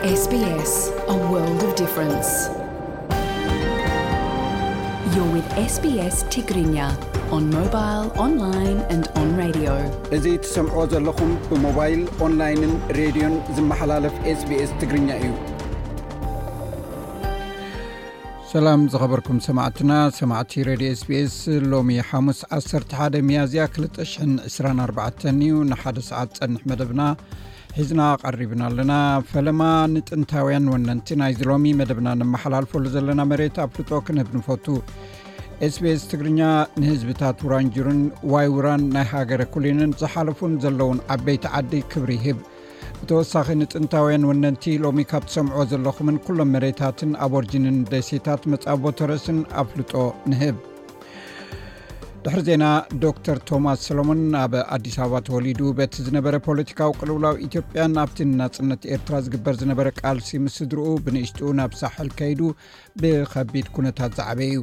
S B S, a world of difference. You're with S B S Tigrinya on mobile, online and on radio. እዚ ትሰምዕዎ ዘለኹም ብሞባይል፣ ኦንላይንን ሬድዮን ዝመሓላለፍ S B S ትግርኛ እዩ። ሰላም ዝኸበርኩም ሰማዕትና፣ ሰማዕቲ ሬድዮ S B S፣ ሎሚ ሓሙስ ዓሰርተ ሓደ ሚያዝያ ክልተ ሽሕን ዕስራን ኣርባዕተን እዩ። ንሓደ ሰዓት ጸንሕ መደብና ሒዝና ቀሪብና ኣለና። ፈለማ ንጥንታውያን ወነንቲ ናይዚ ሎሚ መደብና ነመሓላልፈሉ ዘለና መሬት ኣፍልጦ ክንህብ ንፈቱ። S B S ትግርኛ ንህዝብታት ውራንጁርን ዋይ ውራን ናይ ሃገረ ኩሊንን ዝሓለፉን ዘለውን ዓበይቲ ዓዲ ክብሪ ይህብ። ብተወሳኺ ንጥንታውያን ወነንቲ ሎሚ ካብ ትሰምዕዎ ዘለኹምን ኩሎም መሬታትን ኣቦርጂንን ደሴታት መጻቦ ተረስን ኣፍልጦ ንህብ። ድሕሪ ዜና፣ ዶክተር ቶማስ ሰሎሞን ኣብ ኣዲስ ኣበባ ተወሊዱ በቲ ዝነበረ ፖለቲካዊ ቅልውላው ኢትዮጵያን ኣብቲ ንናጽነት ኤርትራ ዝግበር ዝነበረ ቃልሲ ምስ ስድርኡ ብንእሽትኡ ናብ ሳሕል ከይዱ ብኸቢድ ኩነታት ዝዓበየ እዩ።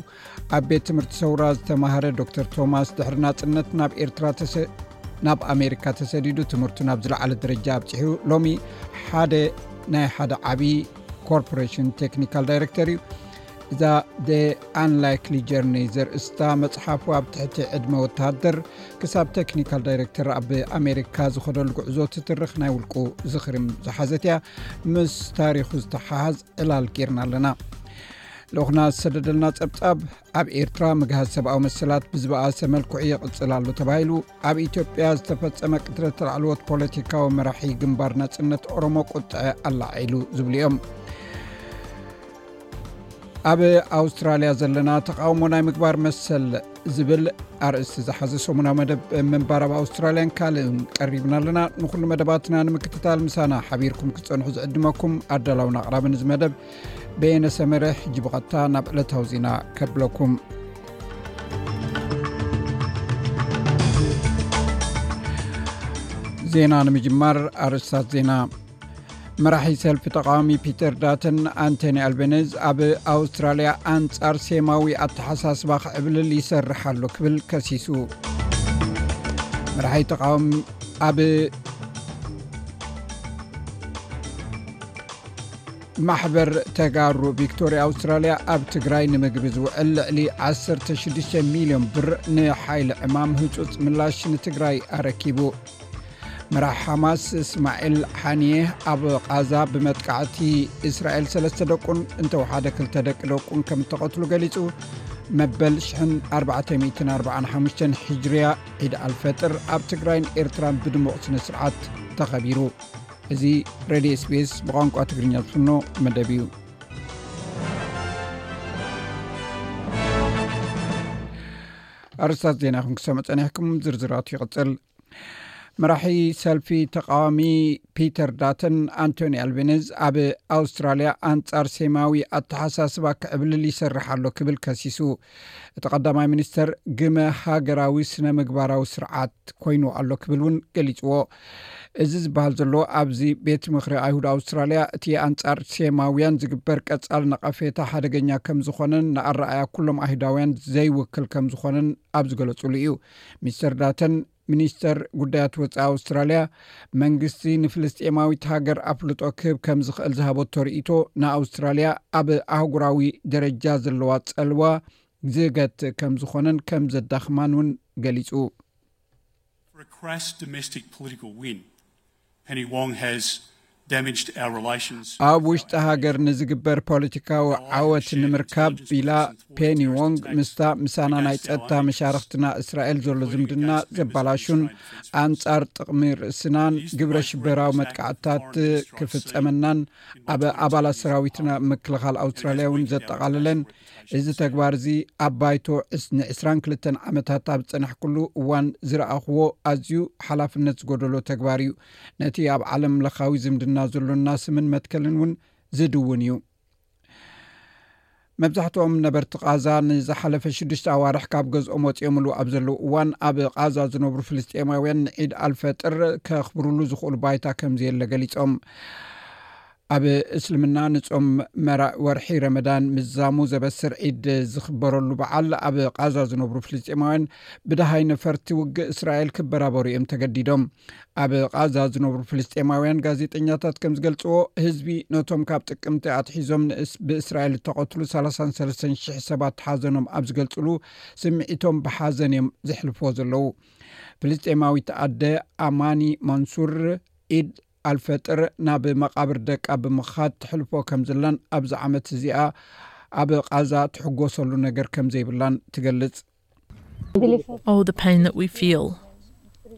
ኣብ ቤት ትምህርቲ ሰውራ ዝተማሃረ ዶክተር ቶማስ ድሕሪ ናጽነት ናብ ኤርትራ ተሰ-፣ ናብ ኣሜሪካ ተሰዲዱ ትምህርቱ ናብ ዝለዓለ ደረጃ ኣብጺሑ ሎሚ ሓደ ናይ ሓደ ዓቢ ኮርፖሬሽን ቴክኒካል ዳይሬክተር እዩ። እዛ The Unlikely Journey ዘርእስታ መጽሓፉ ኣብ ትሕቲ ዕድመ ወተሃደር ክሳብ ቴክኒካል ዳይሬክተር ኣብ ኣሜሪካ ዝኸደሉ ጉዕዞ ትትርኽ ናይ ውልቁ ዝኽሪም ዝሓዘት እያ። ምስ ታሪኹ ዝተሓሓዝ ዕላል ጌርና ኣለና። ልኡኽና ዝሰደደልና ጸብጻብ፣ ኣብ ኤርትራ ምግሃስ ሰብኣዊ መሰላት ብዝበኣሰ መልክዑ ይቕጽል ኣሎ ተባሂሉ፣ ኣብ ኢትዮጵያ ዝተፈጸመ ቅትለት ላዕለዎት ፖለቲካዊ መራሒ ግንባር ናጽነት ኦሮሞ ቁጥዐ ኣላዒሉ ዝብሉ እዮም። ኣብ ኣውስትራልያ ዘለና ተቃውሞ ናይ ምግባር መሰል ዝብል ኣርእስቲ ዝሓዘ ሰሙናዊ መደብ ምንባር ኣብ ኣውስትራልያን ካልእን ቀሪብና ኣለና። ንኹሉ መደባትና ንምክትታል ምሳና ሓቢርኩም ክትጸንሑ ዝዕድመኩም ኣዳላውን ኣቕራብን እዚ መደብ በየነ ሰመረ። ሕጂ ብቐጥታ ናብ ዕለታዊ ዜና ከብለኩም። ዜና ንምጅማር ኣርእስታት ዜና። መራሒ ሰልፊ ተቃዋሚ ፒተር ዳተን ኣንቶኒ ኣልቤነዝ ኣብ ኣውስትራልያ ኣንጻር ሴማዊ ኣተሓሳስባ ክዕብልል ይሰርሕ ኣሎ ክብል ከሲሱ። መራሒ ተቃዋሚ ኣብ ማሕበር ተጋሩ ቪክቶርያ ኣውስትራልያ ኣብ ትግራይ ንምግቢ ዝውዕል ልዕሊ ዓሰርተ ሽዱሽተ ሚልዮን ብር ንሓይሊ ዕማም ህጹጽ ምላሽ ንትግራይ ኣረኪቡ። መራሕ ሓማስ እስማዒል ሓኒየ ኣብ ቃዛ ብመጥቃዕቲ እስራኤል ሰለስተ ደቁን እንተወሓደ ክልተ ደቂ ደቁን ከም እተቐትሉ ገሊጹ። መበል ሽሕን ኣርባዕተ ሚእትን ኣርባዓን ሓሙሽተን ሂጅርያ ዒድ ኣልፈጥር ኣብ ትግራይን ኤርትራን ብድሙቕ ስነ ስርዓት ተኸቢሩ። እዚ ሬድዮ S B S ብቋንቋ ትግርኛ ዝፍኖ መደብ እዩ። ኣርስታት ዜና ክንክሰሙ ጸኒሕኩም፣ ዝርዝራቱ ይቕጽል። መራሒ ሰልፊ ተቃዋሚ ፒተር ዳተን ኣንቶኒ ኣልቤነዝ ኣብ ኣውስትራልያ ኣንጻር ሴማዊ ኣተሓሳስባ ክዕብልል ይሰርሕ ኣሎ ክብል ከሲሱ። እቲ ቀዳማይ ሚኒስተር ግመ ሃገራዊ ስነ ምግባራዊ ስርዓት ኮይኑ ኣሎ ክብል እውን ገሊጽዎ። እዚ ዝበሃል ዘሎ ኣብዚ ቤት ምኽሪ ኣይሁድ ኣውስትራልያ እቲ ኣንጻር ሴማውያን ዝግበር ቀጻል ነቐፌታ ሓደገኛ ከም ዝኾነን ንኣረኣያ ኩሎም ኣይሁዳውያን ዘይውክል ከም ዝኾነን ኣብ ዝገለጹሉ እዩ። ሚስተር ዳተን ሚኒስተር ጉዳያት ወጻኢ ኣውስትራልያ መንግስቲ ንፍልስጤማዊት ሃገር ኣፍልጦ ክህብ ከም ዝኽእል ዝሃበቶ ርእይቶ ንኣውስትራልያ ኣብ ኣህጉራዊ ደረጃ ዘለዋ ጸልዋ ዝገትእ ከም ዝኾነን ከም ዘዳኽማን እውን ገሊጹ። For a crass domestic political win, Penny Wong has damaged our relations. ኣብ ውሽጢ ሃገር ንዝግበር ፖለቲካዊ ዓወት ንምርካብ ኢላ ፔኒ ዎንግ ምስታ ምሳና ናይ ጸጥታ መሻርኽትና እስራኤል ዘሎ ዝምድና ዘባላሹን ኣንጻር ጥቕሚ ርእስናን ግብረ ሽበራዊ መጥቃዕትታት ክፍጸመናን ኣብ ኣባላት ሰራዊትና ምክልኻል ኣውስትራልያ እውን ዘጠቓለለን እዚ ተግባር እዚ ኣብ ባይቶ ዕስ-፣ ንዕስራን ክልተን ዓመታት ኣብ ዝጸናሕኩሉ እዋን ዝረኣኽዎ ኣዝዩ ሓላፍነት ዝጎደሎ ተግባር እዩ። ነቲ ኣብ ዓለም ለኻዊ ዝምድና ዘሎና ስምን መትከልን እውን ዝድውን እዩ። መብዛሕትኦም ነበርቲ ቃዛ ንዝሓለፈ ሽዱሽተ ኣዋርሕ ካብ ገዝኦም ወጺኦምሉ ኣብ ዘለዉ እዋን፣ ኣብ ቃዛ ዝነብሩ ፍልስጤማውያን ንዒድ ኣልፈጥር ከኽብሩሉ ዝኽእሉ ባይታ ከም ዘየለ ገሊጾም። ኣብ እስልምና ንጾም መራእ ወርሒ ረመዳን ምዛሙ ዘበስር ዒድ ዝኽበረሉ በዓል፣ ኣብ ቓዛ ዝነብሩ ፍልስጤማውያን ብደሃይ ነፈርቲ ውግእ እስራኤል ክበራበሩ እዮም ተገዲዶም። ኣብ ቓዛ ዝነብሩ ፍልስጤማውያን ጋዜጠኛታት ከም ዝገልጽዎ፣ ህዝቢ ነቶም ካብ ጥቅምቲ ኣትሒዞም ንእስ-፣ ብእስራኤል እተቐትሉ ሰላሳን ሰለስተን ሽሕ ሰባት ሓዘኖም ኣብ ዝገልጽሉ፣ ስምዒቶም ብሓዘን እዮም ዘሕልፍዎ ዘለዉ። ፍልስጤማዊት ኣደ ኣማኒ ማንሱር፣ ኢድ ኣልፈጥር ናብ መቓብር ደቃ ብምኻድ ትሕልፎ ከም ዘላን ኣብዚ ዓመት እዚኣ ኣብ ቓዛ ትሕጎሰሉ ነገር ከም ዘይብላን ትገልጽ። Oh, the pain that we feel.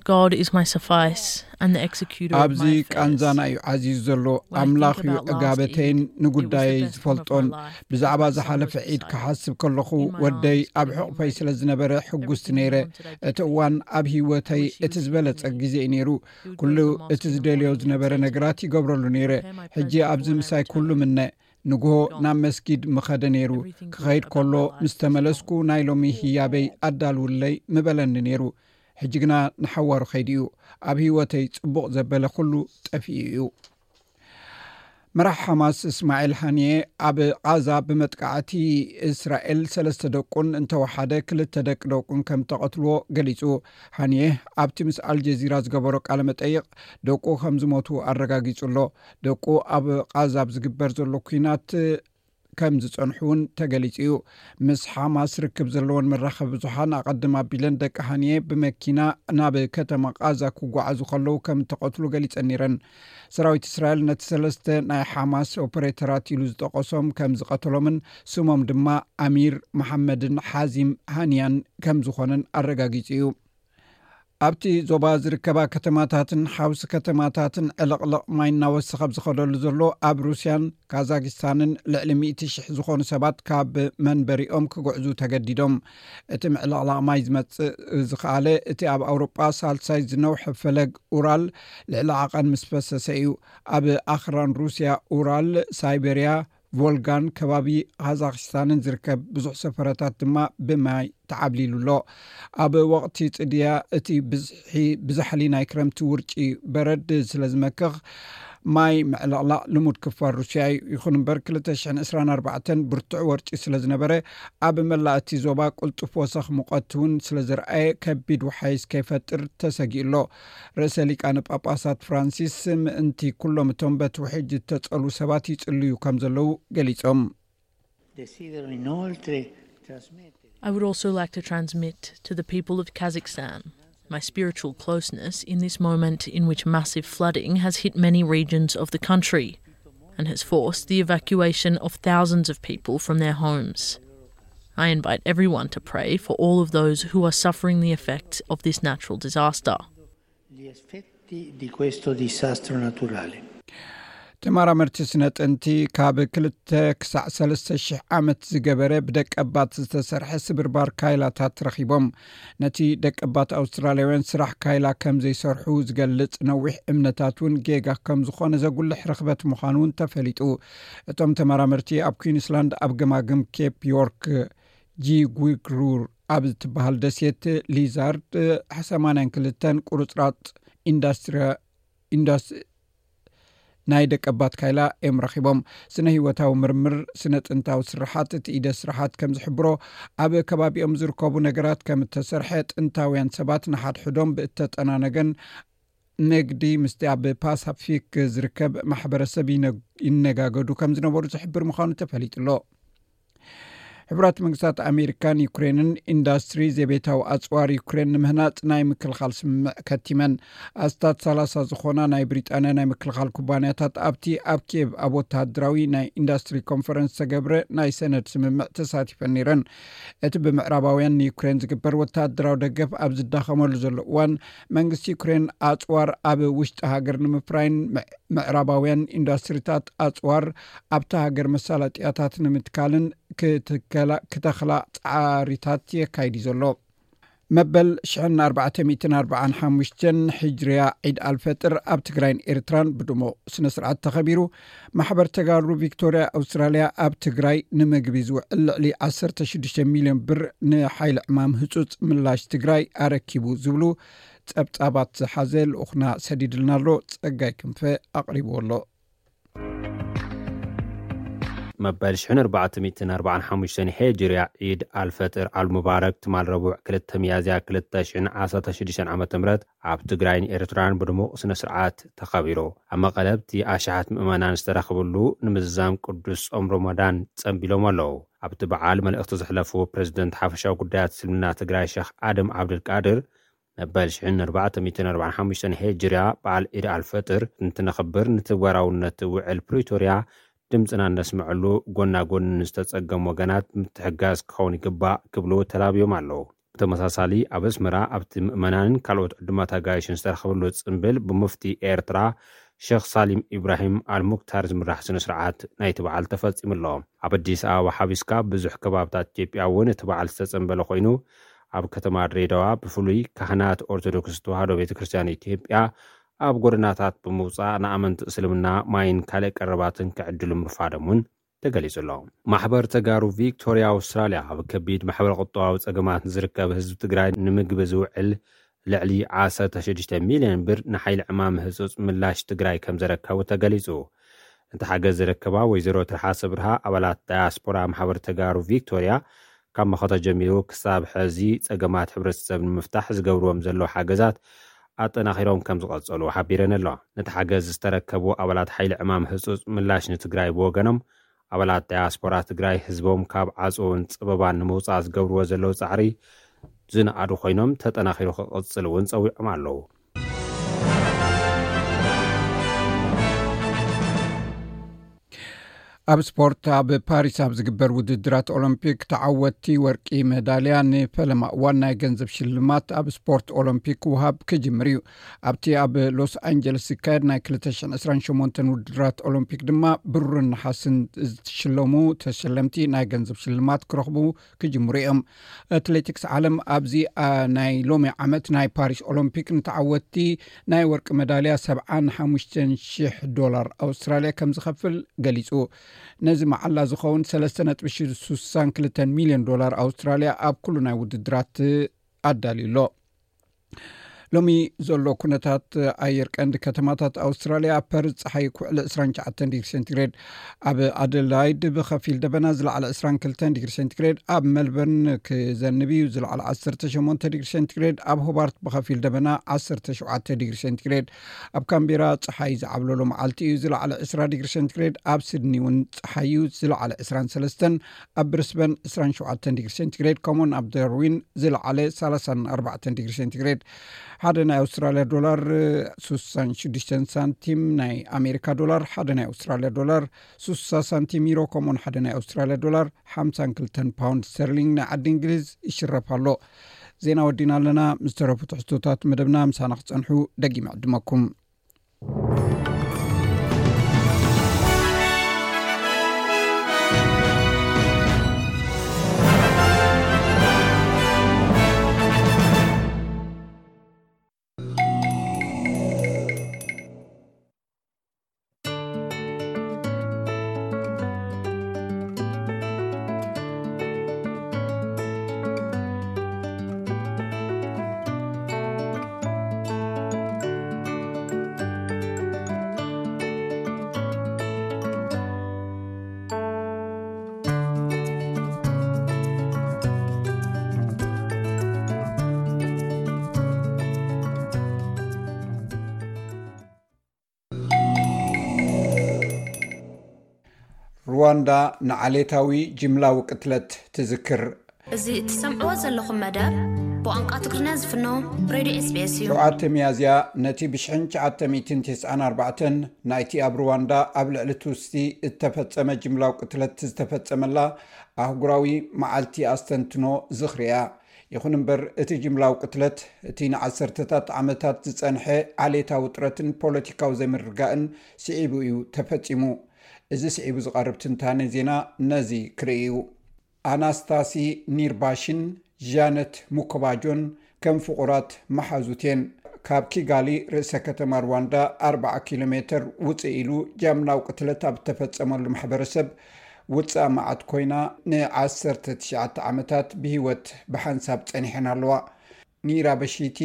God is my suffice, and the executor of ኣብዚ my ቃንዛና affairs. እዩ ዓዚዙ ዘሎ። When I ኣምላኽ think እዩ about last ዕጋበተይን Eid, it was ንጉዳየይ the best one of my ዝፈልጦን። life. ብዛዕባ My son ዝሓለፈ was ዒድ beside ክሓስብ ከለኹ፣ In my ወደይ arms, ኣብ holding him ሕቑፈይ ready. ስለ ዝነበረ ሕጉስቲ Everything he ነይረ። wanted, I did እቲ for እዋን him. ኣብ ህይወተይ Which እቲ used to ዝበለጸ be. ግዜ እዩ ነይሩ። He would ኩሉ go to the mosque እቲ in the ዝደልዮ morning to ዝነበረ recite ነገራት Quran, ይገብረሉ ነይረ። prepare my ሕጂ present for ኣብዚ when I ምሳይ ኩሉ returned. ምነ። ንግሆ ናብ መስጊድ ምኸደ ነይሩ። ክኸይድ ከሎ፣ ምስ ተመለስኩ ናይ ሎሚ ህያበይ ኣዳልውለይ ምበለኒ ነይሩ። ሕጂ ግና ንሓዋሩ ከይዱ እዩ። ኣብ ህይወተይ ጽቡቕ ዘበለ ኩሉ ጠፊኡ እዩ። መራሕ ሓማስ እስማዒል ሃንየ፣ ኣብ ቓዛ ብመጥቃዕቲ እስራኤል ሰለስተ ደቁን እንተወሓደ ክልተ ደቂ ደቁን ከም ተቐትልዎ ገሊጹ። ሃንየ ኣብቲ ምስ ኣልጀዚራ ዝገበሮ ቃለ መጠይቕ፣ ደቁ ከም ዝሞቱ ኣረጋጊጹ ኣሎ። ደቁ ኣብ ቓዛ ኣብ ዝግበር ዘሎ ኲናት ከም ዝጸንሑ እውን ተገሊጹ እዩ። ምስ ሓማስ ርክብ ዘለዎን መራኸቢ ብዙሓን ኣቐድም ኣቢለን ደቂ ሃንየ ብመኪና ናብ ከተማ ቓዛ ክጓዓዙ ከለዉ ከም እተቐትሉ ገሊጸን ነይረን። ሰራዊት እስራኤል ነቲ ሰለስተ ናይ ሓማስ ኦፐሬተራት ኢሉ ዝጠቐሶም ከም ዝቐተሎምን ስሞም ድማ ኣሚር መሓመድን ሓዚም ሃንያን ከም ዝኾነን ኣረጋጊጹ እዩ። ኣብቲ ዞባ ዝርከባ ከተማታትን ሓውሲ ከተማታትን ዕልቕልቕ ማይ እናወሰኸ ኣብ ዝኸደሉ ዘሎ፣ ኣብ ሩስያን ካዛኪስታንን ልዕሊ ሚእቲ ሽሕ ዝኾኑ ሰባት ካብ መንበሪኦም ክጉዕዙ ተገዲዶም። እቲ ምዕልቕላቕ ማይ ዝመጽእ ዝኸኣለ፣ እቲ ኣብ ኣውሮጳ ሳልሳይ ዝነውሐ ፈለግ ኡራል ልዕሊ ዓቐን ምስ ፈሰሰ እዩ። ኣብ ኣኽራን ሩስያ ኡራል፣ ሳይቤርያ፣ ቮልጋን ከባቢ ካዛክስታንን ዝርከብ ብዙሕ ሰፈረታት ድማ ብማይ ተዓብሊሉ ኣሎ። ኣብ ወቕቲ ጽድያ እቲ ብዝሒ ብዛሕሊ ናይ ክረምቲ ውርጪ በረድ ስለ ዝመክኽ፣ ማይ ምዕልቕላቕ ልሙድ ክፋል ሩስያ እዩ። ይኹን እምበር፣ ክልተ ሽሕን ዕስራን ኣርባዕተን ብርቱዕ ወርጪ ስለ ዝነበረ፣ ኣብ መላእ እቲ ዞባ ቅልጡፍ ወሰኽ ሙቐት እውን ስለ ዝረኣየ፣ ከቢድ ውሓይስ ከይፈጥር ተሰጊኡ ኣሎ። ርእሰ ሊቃነ ጳጳሳት ፍራንሲስ ምእንቲ ኩሎም እቶም በቲ ውሕጅ እተጸሉ ሰባት ይጽልዩ ከም ዘለዉ ገሊጾም። Desidero inoltre trasmettere I would also like to transmit to the people of Kazakhstan my spiritual closeness in this moment in which massive flooding has hit many regions of the country and has forced the evacuation of thousands of people from their homes. I invite everyone to pray for all of those who are suffering the effects of this natural disaster. gli effetti di questo disastro naturale. ተመራመርቲ ስነ ጥንቲ፣ ካብ ክልተ ክሳዕ ሰለስተ ሽሕ ዓመት ዝገበረ ብደቀባት ዝተሰርሐ ስብርባር ካይላታት ረኺቦም። ነቲ ደቀባት ኣውስትራልያውያን ስራሕ ካይላ ከም ዘይሰርሑ ዝገልጽ ነዊሕ እምነታት እውን ጌጋ ከም ዝኾነ ዘጉልሕ ርኽበት ምዃኑ እውን ተፈሊጡ። እቶም ተመራመርቲ ኣብ ኩዊንስላንድ ኣብ ገማግም ኬፕ ዮርክ ጂጉግሩር ኣብ እትበሃል ደሴት ሊዛርድ ሰማንያን ክልተን ቁርጽራጥ ኢንዳስትሪ ኢንዳስ ናይ ደቀባት ካይላ እዮም ረኺቦም። ስነ ህይወታዊ ምርምር፣ ስነ ጥንታዊ ስርሓት፣ እቲ ኢደ ስርሓት ከም ዝሕብሮ፣ ኣብ ከባቢኦም ዝርከቡ ነገራት ከም እተሰርሐ፣ ጥንታውያን ሰባት ንሓድሕዶም ብእተጠናነገን ንግዲ ምስቲ ኣብ ፓሳፊክ ዝርከብ ማሕበረሰብ ይነ-፣ ይነጋገዱ ከም ዝነበሩ ዝሕብር ምዃኑ ተፈሊጡ ኣሎ። ሕቡራት መንግስታት ኣሜሪካን ዩክሬንን ኢንዳስትሪ ዘቤታዊ ኣጽዋር ዩክሬን ንምህናጽ ናይ ምክልኻል ስምምዕ ከቲመን። ኣስታት ሰላሳ ዝኾና ናይ ብሪጣንያ ናይ ምክልኻል ኩባንያታት ኣብቲ ኣብ ኪየቭ ኣብ ወተሃደራዊ ናይ ኢንዳስትሪ ኮንፈረንስ ዝተገብረ ናይ ሰነድ ስምምዕ ተሳቲፈን ነይረን። እቲ ብምዕራባውያን ንዩክሬን ዝግበር ወተሃደራዊ ደገፍ ኣብ ዝዳኸመሉ ዘሎ እዋን፣ መንግስቲ ዩክሬን ኣጽዋር ኣብ ውሽጢ ሃገር ንምፍራይን ምዕ-፣ ምዕራባውያን ኢንዳስትሪታት ኣጽዋር ኣብታ ሃገር መሳለጥያታት ንምትካልን ክትከላ-፣ ክተኽላ ጻዕሪታት የካይድ እዩ ዘሎ። መበል ሽሕን ኣርባዕተ ሚእትን ኣርባዓን ሓሙሽተን ሕጅርያ ዒድ ኣልፈጥር ኣብ ትግራይን ኤርትራን ብድሙቕ ስነ ስርዓት ተኸቢሩ። ማሕበር ተጋሩ ቪክቶርያ ኣውስትራልያ ኣብ ትግራይ ንምግቢ ዝውዕል ልዕሊ ዓሰርተ ሽዱሽተ ሚልዮን ብር ንሓይሊ ዕማም ህጹጽ ምላሽ ትግራይ ኣረኪቡ ዝብሉ ጸብጻባት ዝሓዘ ልኡኽና ሰዲድልና ኣሎ። ጸጋይ ክንፈ ኣቕሪብዎ ኣሎ። መበል ሽሕን ኣርባዕተ ሚእትን ኣርባዓን ሓሙሽተን ሄጅርያ ዒድ ኣልፈጥር ኣልሙባረክ ትማል ረቡዕ ክልተ ሚያዝያ ክልተ ሽሕን ዓሰርተ ሽዱሽተን ዓመተ ምህረት ኣብ ትግራይን ኤርትራን ብድሙቕ ስነ ስርዓት ተኸቢሩ። ኣብ መቐለ ኣብቲ ኣሽሓት ምእመናን ዝተረኽብሉ ንምዝዛም ቅዱስ ጾም ሮሞዳን ጸንቢሎም ኣለዉ። ኣብቲ በዓል መልእኽቲ ዘሕለፉ ፕሬዝደንት ሓፈሻዊ ጉዳያት እስልምና ትግራይ ሸኽ ኣደም ዓብደልቃድር፣ መበል ሽሕን ኣርባዕተ ሚእትን ኣርባዓን ሓሙሽተን ሄጅርያ በዓል ዒድ ኣልፈጥር እንትነኽብር ንትግባራውነት ውዕል ፕሪቶርያ ድምፅና እነስምዐሉ፣ ጎና ጎኒ ንዝተፀገሙ ወገናት ምትሕጋዝ ክኸውን ይግባእ ክብሉ ተላብዮም ኣለዉ። ብተመሳሳሊ ኣብ ኣስመራ ኣብቲ ምእመናንን ካልኦት ዕዱማት ኣጋይሽን ዝተረኸበሉ ፅምብል ብሙፍቲ ኤርትራ ሸኽ ሳሊም ኢብራሂም ኣልሙክታር ዝምራሕ ስነ ስርዓት ናይቲ በዓል ተፈፂሙ ኣሎ። ኣብ ኣዲስ ኣበባ ሓዊስካ ብዙሕ ከባብታት ኢትዮጵያ እውን እቲ በዓል ዝተፀንበለ ኮይኑ፣ ኣብ ከተማ ድሬዳዋ ብፍሉይ ካህናት ኦርቶዶክስ ተዋህዶ ቤተ ክርስቲያን ኢትዮጵያ ኣብ ጎደናታት ብምውፃእ ንኣመንቲ እስልምና ማይን ካልእ ቀረባትን ክዕድሉ ምርፋዶም እውን ተገሊጹ ኣሎ። ማሕበር ተጋሩ ቪክቶርያ ኣውስትራልያ ኣብ ከቢድ ማሕበረ ቁጠባዊ ጸገማት ንዝርከብ ህዝቢ ትግራይ ንምግቢ ዝውዕል ልዕሊ ዓሰርተ ሽዱሽተ ሚልዮን ብር ንሓይሊ ዕማም ህጹጽ ምላሽ ትግራይ ከም ዘረከቡ ተገሊጹ። እቲ ሓገዝ ዝረከባ ወይዘሮ ትርሓሰ ብርሃ ኣባላት ዳያስፖራ ማሕበር ተጋሩ ቪክቶርያ ካብ መኸተ ጀሚሩ ክሳብ ሕዚ ጸገማት ሕብረተሰብ ንምፍታሕ ዝገብርዎም ዘለዉ ሓገዛት ኣጠናኺሮም ከም ዝቐጸሉ ሓቢረን ኣለዋ። ነቲ ሓገዝ ዝተረከቡ ኣባላት ሓይሊ ዕማም ህጹጽ ምላሽ ንትግራይ ብወገኖም፣ ኣባላት ዳያስፖራ ትግራይ ህዝቦም ካብ ዓጽውን ጸበባን ንምውጻእ ዝገብርዎ ዘለዉ ጻዕሪ ዝነኣዱ ኮይኖም፣ ተጠናኺሩ ክቕጽል እውን ጸዊዖም ኣለዉ። ኣብ ስፖርት፣ ኣብ ፓሪስ ኣብ ዝግበር ውድድራት ኦሎምፒክ ተዓወትቲ ወርቂ መዳልያ ንፈለማ እዋን ናይ ገንዘብ ሽልማት ኣብ ስፖርት ኦሎምፒክ ክወሃብ ክጅምር እዩ። ኣብቲ ኣብ ሎስ ኣንጀለስ ዝካየድ ናይ ክልተ ሽሕን ዕስራን ሸሞንተን ውድድራት ኦሎምፒክ ድማ ብሩርን ነሓስን ዝሽለሙ ተሸለምቲ ናይ ገንዘብ ሽልማት ክረኽቡ ክጅምሩ እዮም። ኣትሌቲክስ ዓለም ኣብዚ፣ አ፣ ናይ ሎሚ ዓመት ናይ ፓሪስ ኦሎምፒክ ንተዓወትቲ ናይ ወርቂ መዳልያ ሰብዓን ሓሙሽተን ሽሕ ዶላር ኣውስትራልያ ከም ዝኸፍል ገሊጹ። ነዚ መዓላ ዝኸውን ሰለስተ ነጥቢ ሱሳን ክልተን ሚልዮን ዶላር ኣውስትራልያ ኣብ ኩሉ ናይ ውድድራት ኣዳልዩ ኣሎ። ሎሚ ዘሎ ኩነታት ኣየር ቀንዲ ከተማታት ኣውስትራልያ፣ ኣብ ፐርዝ ጸሓይ ክውዕል ዕስራን ትሽዓተን ዲግሪ ሴንቲግሬድ፣ ኣብ ኣደላይድ ብኸፊል ደበና ዝለዓለ ዕስራን ክልተን ዲግሪ ሴንቲግሬድ፣ ኣብ ሜልበርን ክዘንብ እዩ ዝለዓለ ዓሰርተ ሸሞንተ ዲግሪ ሴንቲግሬድ፣ ኣብ ሆባርት ብኸፊል ደበና ዓሰርተ ሸውዓተ ዲግሪ ሴንቲግሬድ፣ ኣብ ካምቤራ ጸሓይ ዝዓብለሎ መዓልቲ እዩ ዝለዓለ ዕስራ ዲግሪ ሴንቲግሬድ፣ ኣብ ሲድኒ እውን ጸሓይ እዩ ዝለዓለ ዕስራን ሰለስተን፣ ኣብ ብሪስበን ዕስራን ሸውዓተን ዲግሪ ሴንቲግሬድ፣ ከምኡውን ኣብ ዳርዊን ዝለዓለ ሰላሳን ኣርባዕተን ዲግሪ ሴንቲግሬድ። ሓደ ናይ ኣውስትራልያ ዶላር ሱሳን ሽዱሽተን ሳንቲም፣ ናይ ኣሜሪካ ዶላር ሓደ ናይ ኣውስትራልያ ዶላር ሱሳ ሳንቲም፣ ዩሮ ከምኡውን ሓደ ናይ ኣውስትራልያ ዶላር ሓምሳን ክልተን ፓውንድ ስተርሊንግ ናይ ዓዲ እንግሊዝ ይሽረፍ ኣሎ። ዜና ወዲና ኣለና። ምስ ተረፉ ትሕዝቶታት መደብና ምሳና ክጸንሑ ደጊመ ዕድመኩም። ሩዋንዳ ንዓሌታዊ ጅምላዊ ቅትለት ትዝክር። እዚ እትሰምዕዎ ዘለኹም መደብ ብቋንቋ ትግርኛ ዝፍኖ ሬድዮ ኤስ ቢ ኤስ እዩ። ሸውዓተ ሚያዝያ ነቲ ብሽሕን ትሽዓተ ሚእትን ተስዓን ኣርባዕተን ናይቲ ኣብ ሩዋንዳ ኣብ ልዕሊ ቱትሲ እተፈጸመ ጅምላዊ ቅትለት ዝተፈጸመላ ኣህጉራዊ መዓልቲ ኣስተንትኖ ዝኽሪ እያ። ይኹን እምበር፣ እቲ ጅምላዊ ቅትለት፣ እቲ ንዓሰርተታት ዓመታት ዝጸንሐ ዓሌታዊ ውጥረትን ፖለቲካዊ ዘይምርግጋእን ስዒቡ እዩ ተፈጺሙ። እዚ ስዒቡ ዝቐርብ ትንታነ ዜና ነዚ ክርኢ እዩ። ኣናስታሲ ኒርባሽን ዣነት ሙኮባጆን ከም ፍቑራት መሓዙት እየን። ካብ ኪጋሊ፣ ርእሰ ከተማ ሩዋንዳ፣ ኣርብዓ ኪሎ ሜተር ውጽእ ኢሉ ጃምላዊ ቅትለት ኣብ እተፈጸመሉ ማሕበረሰብ ውጽኣ መዓት ኮይና፣ ንዓሰርተ ትሽዓተ ዓመታት ብህይወት ብሓንሳብ ጸኒሐን ኣለዋ። ኒራ በሺቲ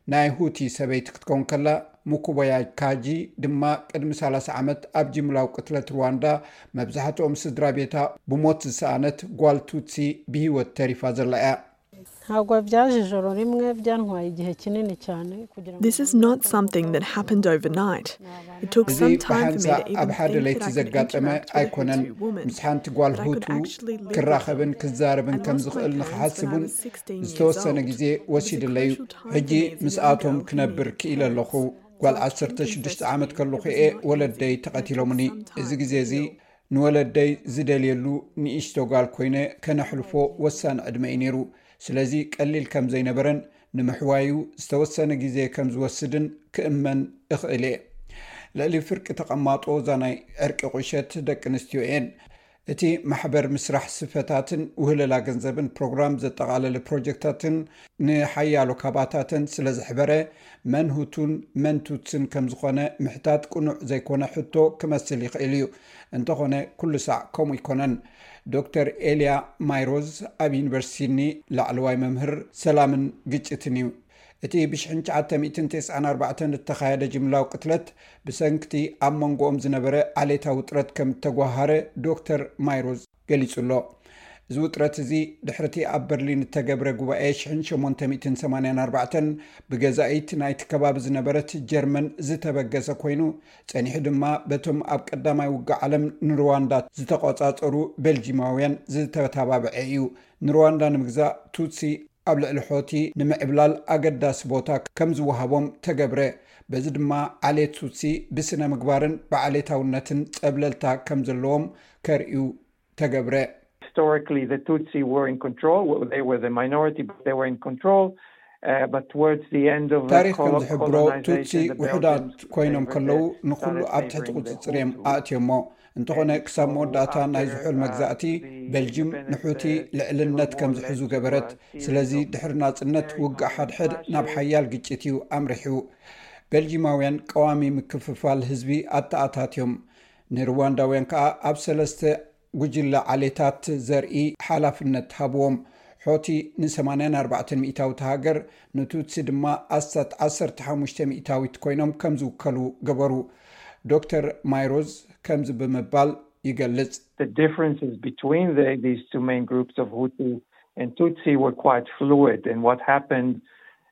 ናይ ሁቲ ሰበይቲ ክትከውን ከላ፣ ሙኩቦያይ ካጂ ድማ ቅድሚ ሰላሳ ዓመት ኣብ ጅምላዊ ቅትለት ሩዋንዳ መብዛሕትኦም ስድራ ቤታ ብሞት ዝሰኣነት ጓል ቱትሲ ብህይወት ተሪፋ ዘላ እያ። Ntabwo byaje ijoro rimwe, byantwaye igihe kinini cyane kugira ngo This is not something that happened overnight. It took እዚ some time for me ብሓንሳእ to even ኣብ ሓደ think ለይቲ that I could ዘጋጠመ interact with a ኣይኮነን። Hutu woman. ምስ ሓንቲ ጓል But I could ሁቱ actually live ክራኸብን with her. ክዛረብን I ከም lost my ዝኽእል parents when I ንኽሓስብ እውን was sixteen years ዝተወሰነ old. ግዜ It was a ወሲድለዩ። crucial time ሕጂ for me to be a ምስኣቶም young girl ክነብር who ክኢለ never ኣለኹ። had ጓል talked ዓሰርተ ሽዱሽተ confessed ዓመት me. ከለኹ It was እየ not ወለደይ easy. It took ተቐቲሎምኒ። some እዚ time ግዜ to እዚ heal. ንወለደይ ዝደልየሉ ንእሽቶ ጓል ኮይነ ከነሕልፎ ወሳኒ ዕድመ እዩ ነይሩ። ስለዚ ቀሊል ከም ዘይነበረን ንምሕዋዩ ዝተወሰነ ግዜ ከም ዝወስድን ክእመን እኽእል እየ። ልዕሊ ፍርቂ ተቐማጦ እዛ ናይ ዕርቂ ቁሸት ደቂ ኣንስትዮ እየን። እቲ ማሕበር ምስራሕ ስፈታትን ውህለላ ገንዘብን ፕሮግራም ዘጠቓለለ ፕሮጀክታትን ንሓያሎ ካባታተን ስለ ዘሕበረ መን ሁቱን መን ቱትስን ከም ዝኾነ ምሕታት ቅኑዕ ዘይኮነ ሕቶ ክመስል ይኽእል እዩ። እንተኾነ ኩሉ ሳዕ ከምኡ ኣይኮነን። ዶክተር ኤልያ ማይሮዝ ኣብ ዩኒቨርሲቲ ሲድኒ ላዕለዋይ መምህር ሰላምን ግጭትን እዩ። እቲ ብ ሽሕን ትሽዓተ ሚእትን ተስዓን ኣርባዕተን እተኻየደ ጅምላዊ ቅትለት ብሰንክቲ ኣብ መንጎኦም ዝነበረ ዓሌታዊ ውጥረት ከም እተጓሃረ ዶክተር ማይሮዝ ገሊጹ ኣሎ። እዚ ውጥረት እዚ ድሕርቲ ኣብ በርሊን እተገብረ ጉባኤ ሽሕን ሸሞንተ ሚእትን ሰማንያን ኣርባዕተን ብገዛኢት ናይቲ ከባቢ ዝነበረት ጀርመን ዝተበገሰ ኮይኑ፣ ጸኒሑ ድማ በቶም ኣብ ቀዳማይ ውግእ ዓለም ንሩዋንዳ ዝተቖጻጸሩ ቤልጂማውያን ዝተተባብዐ እዩ። ንሩዋንዳ ንምግዛእ ቱትሲ ኣብ ልዕሊ ሖቲ ንምዕብላል ኣገዳሲ ቦታ ከም ዝወሃቦም ተገብረ። በዚ ድማ ዓሌት ቱትሲ ብስነ ምግባርን ብዓሌታውነትን ጸብለልታ ከም ዘለዎም ከርእዩ ተገብረ። Historically, the Tutsi were in control. Well, they were the minority, but they were in control. Uh, but towards the end of the ታሪኽ ከም colo- ዝሕብሮ ቱትሲ colonization, the ውሑዳት Belgians ኮይኖም favored ከለዉ them, ንኹሉ started ኣብ ትሕቲ favoring the ቁጽጽር እዮም Hutu. ኣእትዮሞ። እንተኾነ ክሳብ መወዳእታ ናይ ዝሑል መግዛእቲ ቤልጅም ንሑቲ ልዕልነት ከም ዝሕዙ ገበረት። ስለዚ ድሕሪ ናጽነት ውግእ ሓድሕድ ናብ ሓያል ግጭት እዩ ኣምሪሑ። ቤልጂማውያን ቀዋሚ ምክፍፋል ህዝቢ ኣተኣታትዮም። ንሩዋንዳውያን ከኣ ኣብ ሰለስተ ጉጅለ ዓሌታት ዘርኢ ሓላፍነት ሃብዎም። ሖቲ ን84 ሚእታዊት ሃገር፣ ንቱትሲ ድማ ኣስታት ዓሰርተ ሓሙሽተ ሚእታዊት ኮይኖም ከም ዝውከሉ ገበሩ። ዶክተር ማይሮዝ ከምዚ ብምባል ይገልጽ። The differences between the, these two main groups of Hutu and Tutsi were quite fluid. And what happened,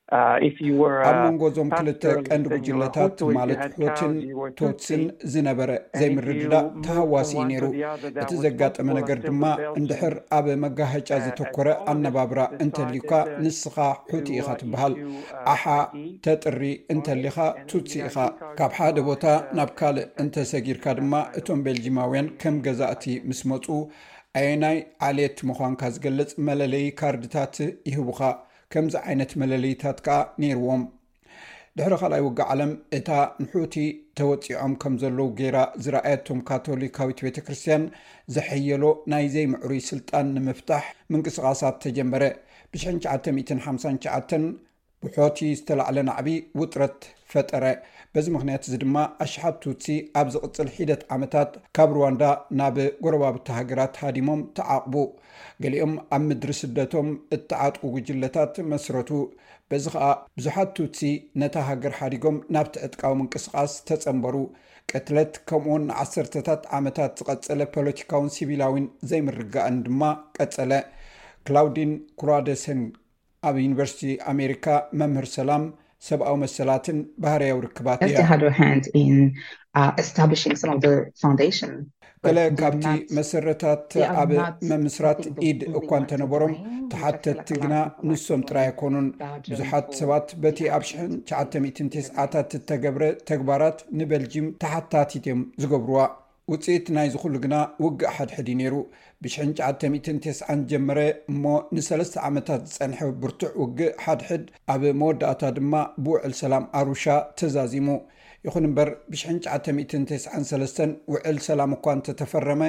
uh, if you were ኣብ a መንጎ እዞም ክልተ pastoralist ቀንዲ and you were ጉጅለታት Hutu, if you ማለት had ሖትን cows, you were ቶትስን Tutsi. ዝነበረ And if you ዘይምርድዳእ moved from ተሃዋሲ እዩ one ነይሩ። to the other, that እቲ was ዘጋጠመ possible ነገር until ድማ the Belgians, እንድሕር ኣብ መጋሃጫ uh, ዘተኮረ as ኣነባብራ Congress እንተልዩካ decided, uh, ንስኻ ሑቲ to, ኢኻ uh, ትበሃል። issue, uh, ኣሓ I D ተጥሪ for እንተሊኻ and ቱትሲ the ኢኻ። I D card ካብ ሓደ was, ቦታ uh, ናብ ካልእ affected እንተሰጊርካ at ድማ that time. እቶም ቤልጂማውያን ከም ገዛእቲ ምስ መጹ ኣየናይ ዓሌት ምዃንካ ዝገልጽ መለለዪ ካርድታት ይህቡኻ። ከምዚ ዓይነት መለለዪታት ከኣ ነይርዎም። ድሕሪ ካልኣይ ውግእ ዓለም እታ ንሑቲ ተወጺዖም ከም ዘለዉ ገይራ ዝረኣየቶም ካቶሊካዊት ቤተ ክርስቲያን ዘሐየሎ ናይ ዘይምዕሩይ ስልጣን ንምፍታሕ ምንቅስቓሳት ተጀመረ። ብ ትሽዓተ ሚእትን ሓምሳን ትሽዓተን ብሖቲ ዝተላዕለ ናዕቢ ውጥረት ፈጠረ። በዚ ምኽንያት እዚ ድማ ኣሽሓት ቱትሲ ኣብ ዝቕጽል ሒደት ዓመታት ካብ ሩዋንዳ ናብ ጎረባብቲ ሃገራት ሃዲሞም ተዓቕቡ። ገሊኦም ኣብ ምድሪ ስደቶም እተዓጥቁ ጉጅለታት መስረቱ። በዚ ኸኣ ብዙሓት ቱትሲ ነታ ሃገር ሓዲጎም ናብቲ ዕጥቃዊ ምንቅስቓስ ተጸንበሩ። ቅትለት ከምኡውን ንዓሰርተታት ዓመታት ዝቐጸለ ፖለቲካውን ሲቪላዊን ዘይምርግጋእን ድማ ቀጸለ። ክላውዲን ኩራደሰን ኣብ ዩኒቨርሲቲ ኣሜሪካ መምህር ሰላም፣ ሰብኣዊ መሰላትን ባህርያዊ ርክባት Just እያ። had a hand in uh, establishing some of the foundation. ገለ ካብቲ መሰረታት ኣብ መምስራት ኢድ እኳ እንተነበሮም፣ ተሓተትቲ ግና ንሶም ጥራይ ኣይኮኑን። ብዙሓት ሰባት በቲ ኣብ ሽሕን ትሽዓተ ሚእትን ተስዓታት እተገብረ ተግባራት ንበልጂም ተሓታቲት እዮም ዝገብርዋ። ውጽኢት ናይዚ ኩሉ ግና ውግእ ሓድሕድ እዩ ነይሩ። ብ ትሽዓተ ሚእትን ተስዓን ጀመረ እሞ ንሰለስተ ዓመታት ዝጸንሐ ብርቱዕ ውግእ ሓድሕድ ኣብ መወዳእታ ድማ ብውዕል ሰላም ኣሩሻ ተዛዚሙ። ይኹን እምበር ብ ትሽዓተ ሚእትን ተስዓን ሰለስተን ውዕል ሰላም እኳ እንተተፈረመ፣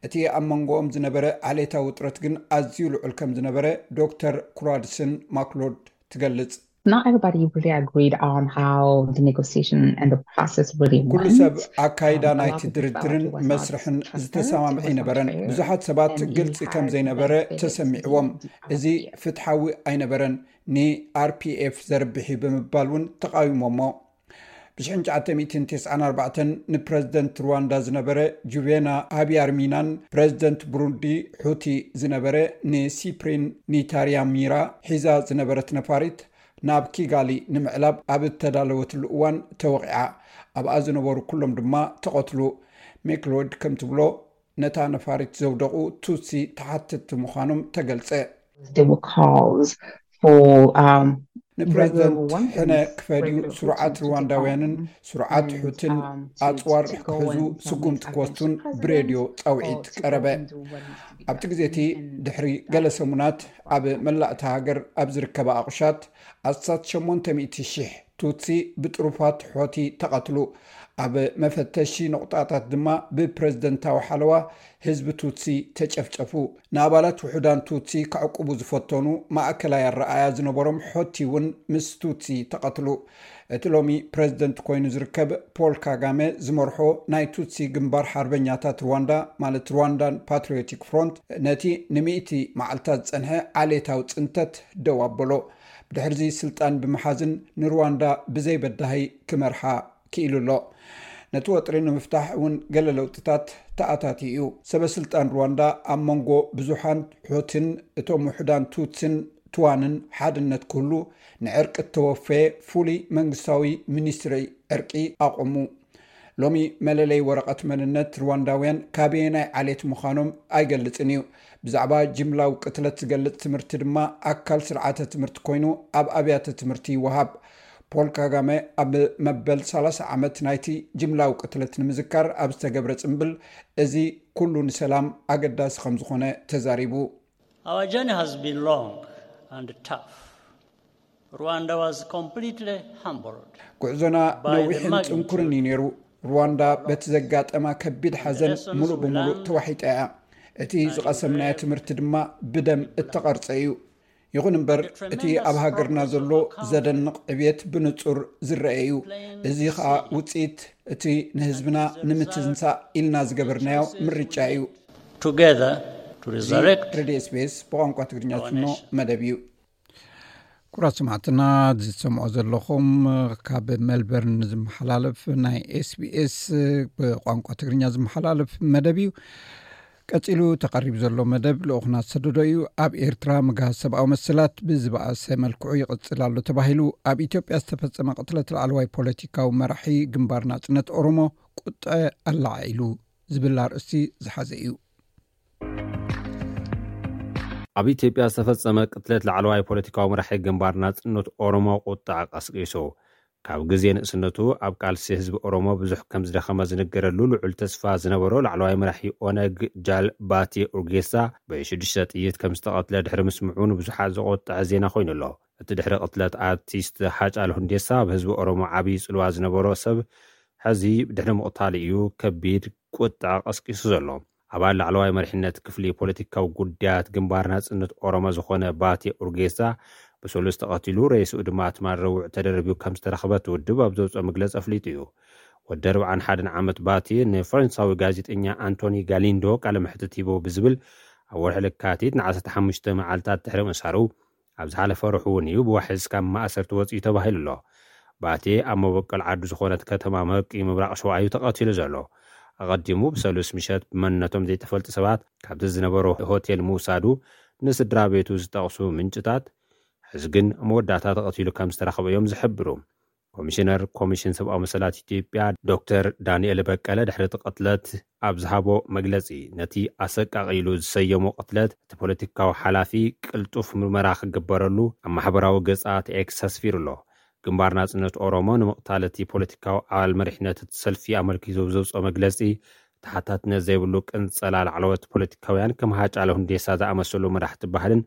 እቲ ኣብ መንጎኦም ዝነበረ ዓሌታዊ ውጥረት ግን ኣዝዩ ልዑል ከም ዝነበረ ዶክተር ኩራድስን ማክሎድ ትገልጽ። Not everybody really agreed on how the negotiation and the process really ኩሉ went. ሰብ ኣካይዳ ናይቲ ድርድርን መስርሕን ዝተሰማምዐ ኣይነበረን። ብዙሓት ሰባት ግልጺ ከም ዘይነበረ ተሰሚዕዎም፣ እዚ ፍትሓዊ ኣይነበረን፣ ን R P F ዘርብሕ እዩ ብምባል እውን ተቓዊሞሞ። ብ1994 ንፕረዚደንት ሩዋንዳ ዝነበረ ጁቬና ሃቢያርሚናን ፕረዚደንት ብሩንዲ ሑቲ ዝነበረ ንሲፕሪን ኒታርያሚራ ሒዛ ዝነበረት ነፋሪት ናብ ኪጋሊ ንምዕላብ ኣብ እተዳለወትሉ እዋን ተወቒዓ። ኣብኣ ዝነበሩ ኩሎም ድማ ተቐትሉ። ሜክሎድ ከም ትብሎ፣ ነታ ነፋሪት ዘውደቑ ቱትሲ ተሓተትቲ ምዃኖም ተገልጸ። ንፕረዚደንት ሕነ ክፈድዩ ስሩዓት ሩዋንዳውያንን ስሩዓት ሑትን ኣጽዋር ክሕዙ ስጉምቲ ክወስዱን ብሬድዮ ጻውዒት ቀረበ። ኣብቲ ግዜ እቲ ድሕሪ ገለ ሰሙናት ኣብ መላእ እታ ሃገር ኣብ ዝርከባ ኣቑሻት ኣስታት ሸሞንተ ሚእቲ ሽሕ ቱትሲ ብጥሩፋት ሖቲ ተቐትሉ። ኣብ መፈተሺ ነቑጣታት ድማ ብፕረዚደንታዊ ሓለዋ ህዝቢ ቱትሲ ተጨፍጨፉ። ንኣባላት ውሑዳን ቱትሲ ከዕቁቡ ዝፈተኑ ማእከላይ ኣረኣያ ዝነበሮም ሖቲ እውን ምስ ቱትሲ ተቐትሉ። እቲ ሎሚ ፕረዚደንት ኮይኑ ዝርከብ ፖል ካጋመ ዝመርሖ ናይ ቱትሲ ግንባር ሓርበኛታት ሩዋንዳ፣ ማለት ሩዋንዳን ፓትሪዮቲክ ፍሮንት፣ ነቲ ንሚእቲ መዓልታት ዝጸንሐ ዓሌታዊ ጽንተት ደው ኣበሎ። ብድሕርዚ ስልጣን ብምሓዝን ንሩዋንዳ ብዘይ በዳሂ ክመርሓ ክኢሉ ኣሎ። ነቲ ወጥሪ ንምፍታሕ እውን ገለ ለውጥታት ተኣታቲ እዩ። ሰበ ስልጣን ሩዋንዳ ኣብ መንጎ ብዙሓን ሑትን እቶም ውሑዳን ቱትስን ትዋንን ሓድነት ክህሉ ንዕርቂ እተወፈየ ፍሉይ መንግስታዊ ሚኒስትሪ ዕርቂ ኣቆሙ። ሎሚ መለለይ ወረቐት መንነት ሩዋንዳውያን ካበየናይ ዓሌት ምዃኖም ኣይገልጽን እዩ። ብዛዕባ ጅምላዊ ቅትለት ዝገልጽ ትምህርቲ ድማ ኣካል ስርዓተ ትምህርቲ ኮይኑ ኣብ ኣብያተ ትምህርቲ ይወሃብ። ፖል ካጋመ ኣብ መበል ሰላሳ ዓመት ናይቲ ጅምላዊ ቅትለት ንምዝካር ኣብ ዝተገብረ ጽምብል፣ እዚ ኩሉ ንሰላም ኣገዳሲ ከም ዝኾነ ተዛሪቡ። Our journey has been long and tough. Rwanda was completely humbled. ጉዕዞና ነዊሕን ጽንኩርን እዩ ነይሩ። ሩዋንዳ በቲ ዘጋጠማ ከቢድ ሓዘን ሙሉእ ብሙሉእ ተዋሒጣ እያ። እቲ ዝቐሰምናዮ ትምህርቲ ድማ ብደም እተቐርጸ እዩ። ይኹን እምበር፣ እቲ ኣብ ሃገርና ዘሎ ዘደንቕ ዕብየት ብንጹር ዝረአ እዩ። እዚ ኸኣ ውጽኢት እቲ ንህዝብና ንምትንሳእ ኢልና ዝገበርናዮ ምርጫ እዩ። Together to resurrect ሬድዮ ኤስቢኤስ ብቋንቋ ትግርኛ ዝፍኖ መደብ እዩ። ኩራት ሰማዕትና ዝሰምዖ ዘለኹም ካብ ሜልበርን ዝመሓላለፍ ናይ ኤስቢኤስ ብቋንቋ ትግርኛ ዝመሓላለፍ መደብ እዩ። ቀጺሉ ተቐሪቡ ዘሎ መደብ ልኡኽና ዝሰደዶ እዩ። ኣብ ኤርትራ ምግሃስ ሰብኣዊ መሰላት ብዝበኣሰ መልክዑ ይቕጽል ኣሎ ተባሂሉ ኣብ ኢትዮጵያ ዝተፈጸመ ቅትለት ላዕለዋይ ፖለቲካዊ መራሒ ግንባር ናጽነት ኦሮሞ ቁጥዐ ኣላዓዒሉ ዝብል ኣርእስቲ ዝሓዘ እዩ። ኣብ ኢትዮጵያ ዝተፈጸመ ቅትለት ላዕለዋይ ፖለቲካዊ መራሒ ግንባር ናጽነት ኦሮሞ ቁጥዐ ቀስቂሱ። ካብ ግዜ ንእስነቱ ኣብ ቃልሲ ህዝቢ ኦሮሞ ብዙሕ ከም ዝደኸመ ዝንገረሉ ልዑል ተስፋ ዝነበሮ ላዕለዋይ መራሒ ኦነግ ጃል ባቴ ኡርጌሳ ብሽዱሽተ ጥይት ከም ዝተቐትለ ድሕሪ ምስምዑ ንብዙሓት ዘቖጥዐ ዜና ኮይኑ ኣሎ። እቲ ድሕሪ ቅትለት ኣርቲስት ሃጫሉ ሁንዴሳ ኣብ ህዝቢ ኦሮሞ ዓብዪ ጽልዋ ዝነበሮ ሰብ ሕዚ ድሕሪ ምቕታሉ እዩ ከቢድ ቁጥዐ ቀስቂሱ ዘሎ። ኣባል ላዕለዋይ መሪሕነት ክፍሊ ፖለቲካዊ ጉዳያት ግንባር ናጽነት ኦሮሞ ዝኾነ ባቴ ኡርጌሳ ብሰሉስ ተቐቲሉ፣ ሬስኡ ድማ ትማል ረቡዕ ተደርብዩ ከም ዝተረኽበ እቲ ውድብ ኣብ ዘውፅኦ መግለፂ ኣፍሊጡ እዩ። ወዲ ኣርብዓን ሓደን ዓመት ባቴ ንፈረንሳዊ ጋዜጠኛ ኣንቶኒ ጋሊንዶ ቃለ መሕትት ሂቡ ብዝብል ኣብ ወርሒ ለካቲት ን15 መዓልታት ድሕሪ ምእሳሩ ኣብ ዝሓለፈ ርሑ እውን እዩ ብዋሕስ ካብ ማእሰርቲ ወፂኡ ተባሂሉ ኣሎ። ባቴ ኣብ መበቆል ዓዱ ዝኾነት ከተማ መቂ ምብራቕ ሸዋ እዩ ተቐቲሉ ዘሎ። ኣቐዲሙ ብሰሉስ ምሸት ብመንነቶም ዘይተፈልጡ ሰባት ካብቲ ዝነበሮ ሆቴል ምውሳዱ ንስድራ ቤቱ ዝጠቕሱ ምንጭታት፣ ሕዚ ግን መወዳእታ ተቐቲሉ ከም ዝተረኸበ እዮም ዝሕብሩ። ኮሚሽነር ኮሚሽን ሰብኣዊ መሰላት ኢትዮጵያ ዶክተር ዳንኤል በቀለ ድሕሪ እቲ ቅትለት ኣብ ዝሃቦ መግለፂ፣ ነቲ ኣሰቃቒ ኢሉ ዝሰየሞ ቅትለት እቲ ፖለቲካዊ ሓላፊ ቅልጡፍ ምርመራ ክግበረሉ ኣብ ማሕበራዊ ገፃት ኤክስ ኣስፊሩ ኣሎ። ግንባር ናፅነት ኦሮሞ ንምቕታል እቲ ፖለቲካዊ ኣባል መሪሕነት እቲ ሰልፊ ኣመልኪቱ ብዘውፅኦ መግለፂ፣ ተሓታትነት ዘይብሉ ቅንፀላ ላዕለዎት ፖለቲካውያን ከም ሃጫለ ሁንዴሳ ዝኣመሰሉ መራሕቲ ባህልን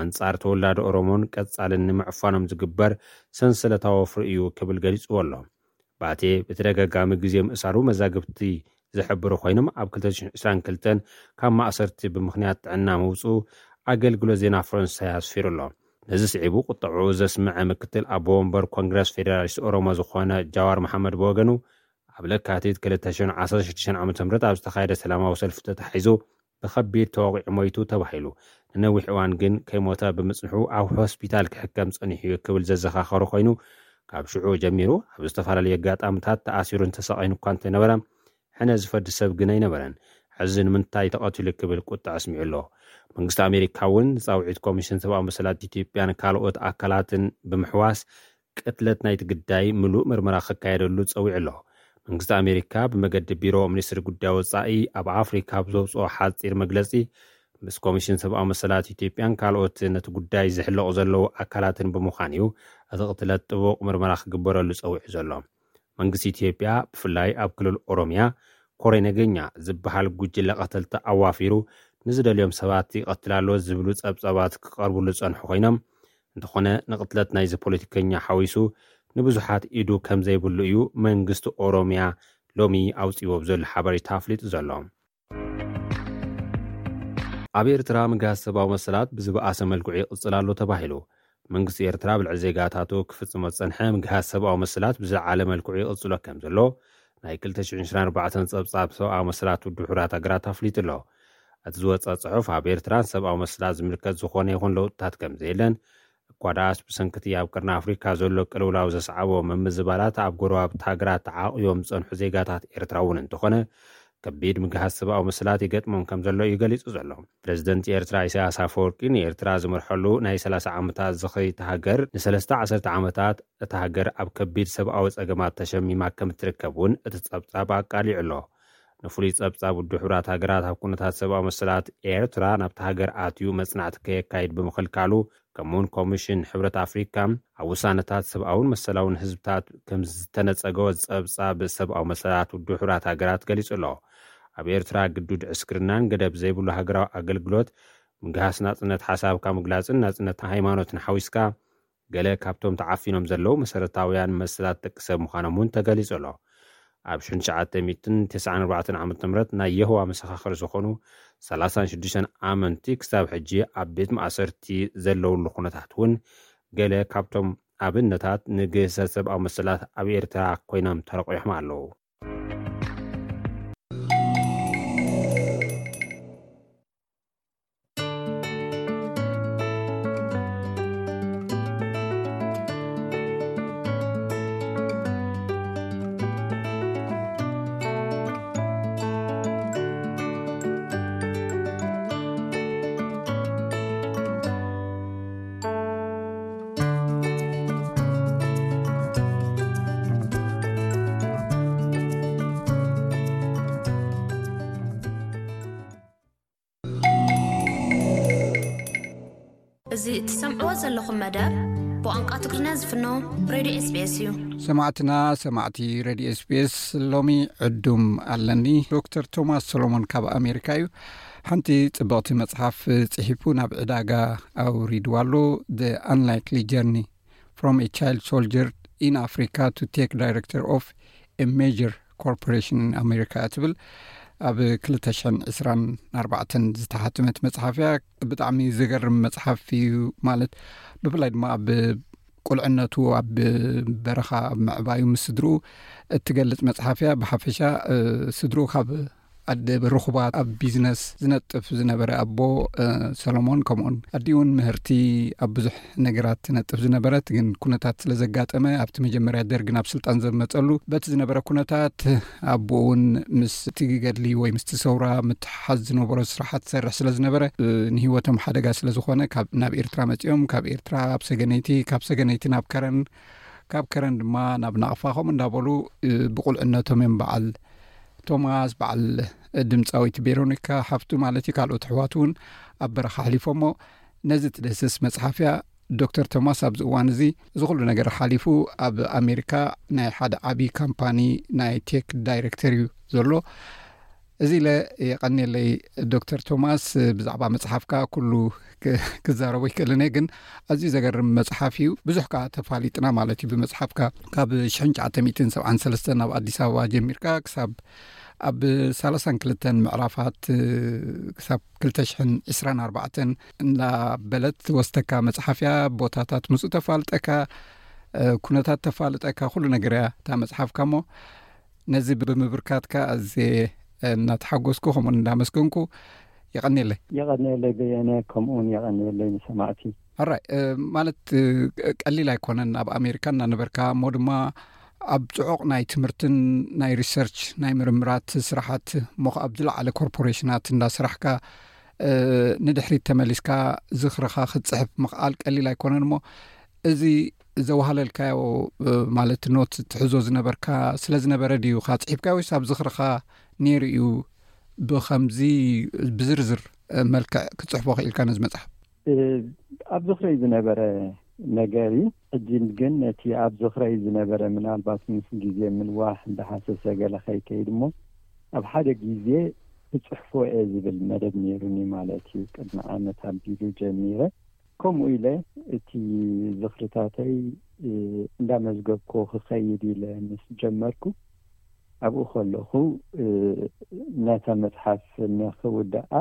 ኣንጻር ተወላዶ ኦሮሞን ቀጻልን ንምዕፋኖም ዝግበር ሰንሰለታዊ ወፍሪ እዩ ክብል ገሊጽዎ ኣሎ። ባቴ ብተደጋጋሚ ግዜ ምእሳሩ መዛግብቲ ዝሕብሩ ኮይኖም፣ ኣብ ክልተ ሽሕን ዕስራን ክልተን ካብ ማእሰርቲ ብምኽንያት ጥዕና ምውጽኡ ኣገልግሎት ዜና ፈረንሳይ ኣስፊሩ ኣሎ። ነዚ ስዒቡ ቁጠዕኡ ዘስምዐ ምክትል ኣቦ ወንበር ኮንግረስ ፌደራሊስት ኦሮሞ ዝኾነ ጃዋር መሓመድ ብወገኑ፣ ኣብ ለካቲት ክልተ ሽሕን ዓሰርተ ሽዱሽተን ዓመተ ምህረት ኣብ ዝተኻየደ ሰላማዊ ሰልፊ ተታሒዙ ብኸቢድ ተወቒዑ ሞይቱ ተባሂሉ። ንነዊሕ እዋን ግን ከይሞተ ብምጽንሑ ኣብ ሆስፒታል ክሕከም ጸኒሑ እዩ ክብል ዘዘኻኸሩ ኮይኑ፣ ካብ ሽዑ ጀሚሩ ኣብ ዝተፈላለዩ ኣጋጣምታት ተኣሲሩን ተሰቓይን እኳ እንተነበረ፣ ሕነ ዝፈዲ ሰብ ግን ኣይነበረን። ሕዚ ንምንታይ ተቐቲሉ ክብል ቁጣ ኣስሚዑ ኣሎ። መንግስቲ ኣሜሪካ እውን ንጻውዒት ኮሚሽን ሰብኣዊ መሰላት ኢትዮጵያን ካልኦት ኣካላትን ብምሕዋስ ቅትለት ናይቲ ግዳይ ምሉእ ምርመራ ክካየደሉ ጸዊዑ ኣሎ። መንግስቲ ኣሜሪካ ብመገዲ ቢሮ ሚኒስትሪ ጉዳይ ወጻኢ ኣብ ኣፍሪካ ኣብ ዘውፅኦ ሓፂር መግለፂ፣ ምስ ኮሚሽን ሰብኣዊ መሰላት ኢትዮጵያን ካልኦት ነቲ ጉዳይ ዝሕለቑ ዘለዉ ኣካላትን ብምዃን እዩ እቲ ቅትለት ጥቡቕ ምርመራ ክግበረሉ ጸዊዑ ዘሎ። መንግስቲ ኢትዮጵያ ብፍላይ ኣብ ክልል ኦሮሚያ ኮሬ ነገኛ ዝበሃል ጉጅለ ቀተልቲ ኣዋፊሩ ንዝደልዮም ሰባት ይቐትል ኣሎ ዝብሉ ጸብጻባት ክቐርብሉ ዝጸንሑ ኮይኖም፣ እንተኾነ ንቕትለት ናይዚ ፖለቲከኛ ሓዊሱ ንብዙሓት ኢዱ ከም ዘይብሉ እዩ መንግስቲ ኦሮሚያ ሎሚ ኣውፂዎ ብዘሎ ሓበሬታ ኣፍሊጡ ዘሎ። ኣብ ኤርትራ ምግሃስ ሰብኣዊ መሰላት ብዝበኣሰ መልክዑ ይቕጽል ኣሎ ተባሂሉ። መንግስቲ ኤርትራ ኣብ ልዕሊ ዜጋታቱ ክፍጽሞ ዝጸንሐ ምግሃስ ሰብኣዊ መሰላት ብዝለዓለ መልክዑ ይቕጽሎ ከም ዘሎ ናይ ክልተ ሽሕን ዕስራን ኣርባዕተን ጸብጻብ ሰብኣዊ መሰላት ውድብ ሕቡራት ሃገራት ኣፍሊጡ ኣሎ። እቲ ዝወጸ ጽሑፍ ኣብ ኤርትራ ንሰብኣዊ መሰላት ዝምልከት ዝኾነ ይኹን ለውጥታት ከም ዘየለን፣ እኳ ደኣስ ብሰንክቲ ኣብ ቀርኒ ኣፍሪካ ዘሎ ቅልውላው ዘስዓቦ ምምዝባላት ኣብ ጎረባብቲ ሃገራት ተዓቕዮም ዝጸንሑ ዜጋታት ኤርትራ እውን እንተኾነ ከቢድ ምግሃስ ሰብኣዊ መሰላት ይገጥሞም ከም ዘሎ እዩ ገሊጹ ዘሎ። ፕሬዚደንት ኤርትራ ኢሳያስ ኣፈወርቂ ንኤርትራ ዝመርሐሉ ናይ ሰላሳ ዓመታት ዝኽሪ እታ ሃገር ንሰለስተ ዓሰርተ ዓመታት እታ ሃገር ኣብ ከቢድ ሰብኣዊ ጸገማት ተሸሚማ ከም እትርከብ እውን እቲ ጸብጻብ ኣቃሊዑ ኣሎ። ንፍሉይ ጸብጻብ ውድብ ሕቡራት ሃገራት ኣብ ኩነታት ሰብኣዊ መሰላት ኤርትራ ናብታ ሃገር ኣትዩ መጽናዕቲ ከየካይድ ብምኽልካሉ፣ ከምኡውን ኮሚሽን ሕብረት ኣፍሪካ ኣብ ውሳነታት ሰብኣውን መሰላውን ህዝብታት ከም ዝተነጸገ ጸብጻብ ሰብኣዊ መሰላት ውድብ ሕቡራት ሃገራት ገሊጹ ኣሎ። ኣብ ኤርትራ ግዱድ ዕስክርናን ገደብ ዘይብሉ ሃገራዊ ኣገልግሎት፣ ምግሃስ ናጽነት ሓሳብካ ምግላጽን ናጽነት ሃይማኖትን ሓዊስካ ገለ ካብቶም ተዓፊኖም ዘለዉ መሰረታውያን መሰላት ደቂ ሰብ ምዃኖም እውን ተገሊጹ ኣሎ። ኣብ ሽሕን ትሽዓተ ሚእትን ተስዓን ኣርባዕተን ዓመተ ምህረት ናይ የሆዋ መሰኻኽር ዝኾኑ ሰላሳን ሽዱሽተን ኣመንቲ ክሳብ ሕጂ ኣብ ቤት ማእሰርቲ ዘለውሉ ኩነታት እውን ገለ ካብቶም ኣብነታት ንግህሰት ሰብኣዊ መሰላት ኣብ ኤርትራ ኮይኖም ተረቂሖም ኣለዉ። እዚ እትሰምዕዎ ዘለኹም መደብ ብቋንቋ ትግርኛ ዝፍኖ ሬድዮ ኤስቢኤስ እዩ። ሰማዕትና፣ ሰማዕቲ ሬድዮ ኤስቢኤስ፣ ሎሚ ዕዱም ኣለኒ። ዶክተር ቶማስ ሰሎሞን ካብ ኣሜሪካ እዩ። ሓንቲ ጽብቕቲ መጽሓፍ ጽሒፉ ናብ ዕዳጋ ኣውሪድዋ ኣሎ። The Unlikely Journey from a Child Soldier in Africa to Tech Director of a Major Corporation in America ትብል ኣብ ክልተ ሽሕን ዕስራን ኣርባዕተን ዝተሓተመት መጽሓፍ እያ። ብጣዕሚ ዘገርም መጽሓፍ እዩ። ማለት ብፍላይ ድማ ኣብ ቁልዕነቱ ኣብ በረኻ ኣብ ምዕባዩ ምስ ስድርኡ እትገልጽ መጽሓፍ እያ። ብሓፈሻ፣ እ፣ ስድርኡ ካብ ኣደ ርኹባት ኣብ ቢዝነስ ዝነጥፍ ዝነበረ ኣቦ፣ እ፣ ሰሎሞን፣ ከምኡውን ኣዲኡ እውን ምህርቲ ኣብ ብዙሕ ነገራት ትነጥፍ ዝነበረት፣ ግን ኩነታት ስለ ዘጋጠመ ኣብቲ መጀመርያ ደርግ ናብ ስልጣን ዘመጸሉ በቲ ዝነበረ ኩነታት ኣቦኡ እውን ምስቲ ገድሊ ወይ ምስቲ ሰውራ ምትሓዝ ዝነበሮ ስራሓት ትሰርሕ ስለ ዝነበረ፣ እ፣ ንህይወቶም ሓደጋ ስለ ዝኾነ ካብ፣ ናብ ኤርትራ መጺኦም፣ ካብ ኤርትራ ኣብ ሰገነይቲ፣ ካብ ሰገነይቲ ናብ ከረን፣ ካብ ከረን ድማ ናብ ናቕፋ፣ ከምኡ እንዳበሉ፣ እ፣ ብቁልዕነቶም እዮም በዓል ቶማስ፣ በዓል ድምፃዊት ቬሮኒካ ሓፍቱ ማለት እዩ፣ ካልኦት ኣሕዋቱ እውን ኣብ በረኻ ኣሕሊፎሞ። ነዚ ትድህስስ መጽሓፍ እያ። ዶክተር ቶማስ ኣብዚ እዋን እዚ እዚ ኩሉ ነገር ሓሊፉ ኣብ ኣሜሪካ ናይ ሓደ ዓብዪ ካምፓኒ ናይ ቴክ ዳይሬክተር እዩ ዘሎ። እዚ ኢለ የቐንየለይ ዶክተር ቶማስ፣ ብዛዕባ መጽሓፍካ ኩሉ ክ-፣ ክዛረቦ ይክእልን እየ፣ ግን ኣዝዩ ዘገርም መጽሓፍ እዩ። ብዙሕ ከኣ ተፋሊጥና ማለት እዩ ብመጽሓፍካ። ካብ ሽሕን ትሽዓተ ሚእትን ሰብዓን ሰለስተን ኣብ ኣዲስ ኣበባ ጀሚርካ ክሳብ ኣብ ሰላሳን ክልተን ምዕራፋት፣ ክሳብ ክልተ ሽሕን ዕስራን ኣርባዕተን እንዳበለት ወስተካ መጽሓፍ እያ። ቦታታት ምስኡ ተፋልጠካ፣ ኩነታት ተፋልጠካ፣ ኩሉ ነገር እያ እታ መጽሓፍካ። እሞ ነዚ ብምብርካትካ ኣዝየ እናተሓጎስኩ ከምኡን እንዳመስገንኩ፣ የቐንየለይ። የቐንየለይ በየነ፣ ከምኡውን የቐንየለይ ንሰማዕቲ። ኣራይ ማለት ቀሊል ኣይኮነን። ኣብ ኣሜሪካ እናነበርካ እሞ ድማ ኣብ ጽዑቕ ናይ ትምህርትን ናይ ሪሰርች ናይ ምርምራት ስራሓት እሞ ኣብ ዝለዓለ ኮርፖሬሽናት እንዳስራሕካ ንድሕሪት ተመሊስካ ዝኽርኻ ክትጽሕፍ ምኽኣል ቀሊል ኣይኮነን። እሞ እዚ ዘዋሃለልካዮ ማለት ኖት ትሕዞ ዝነበርካ ስለ ዝነበረ ድዩ ካ ጽሒፍካ ወይስ ኣብ ዝኽርኻ ነይሩ እዩ? ብኸምዚ ብዝርዝር መልክዕ ክትጽሕፎ ክኢልካ ነዚ መጽሓፍ? ኣብ ዝኽረይ ዝነበረ ነገር እዩ። ሕጂ ግን ነቲ ኣብ ዝኽረይ ዝነበረ ምናልባት ምስ ግዜ ምንዋሕ እንዳሃሰሰ ገለ ከይከይድ እሞ ኣብ ሓደ ግዜ ክጽሕፎ እየ ዝብል መደብ ነይሩኒ ማለት እዩ። ቅድሚ ዓመት ኣቢሉ ጀሚረ። ከምኡ ኢለ እቲ ዝኽርታተይ እንዳመዝገብኮ ክኸይድ ኢለ ምስ ጀመርኩ ኣብኡ ከለኹ ነታ መጽሓፍ ንኽውድኣ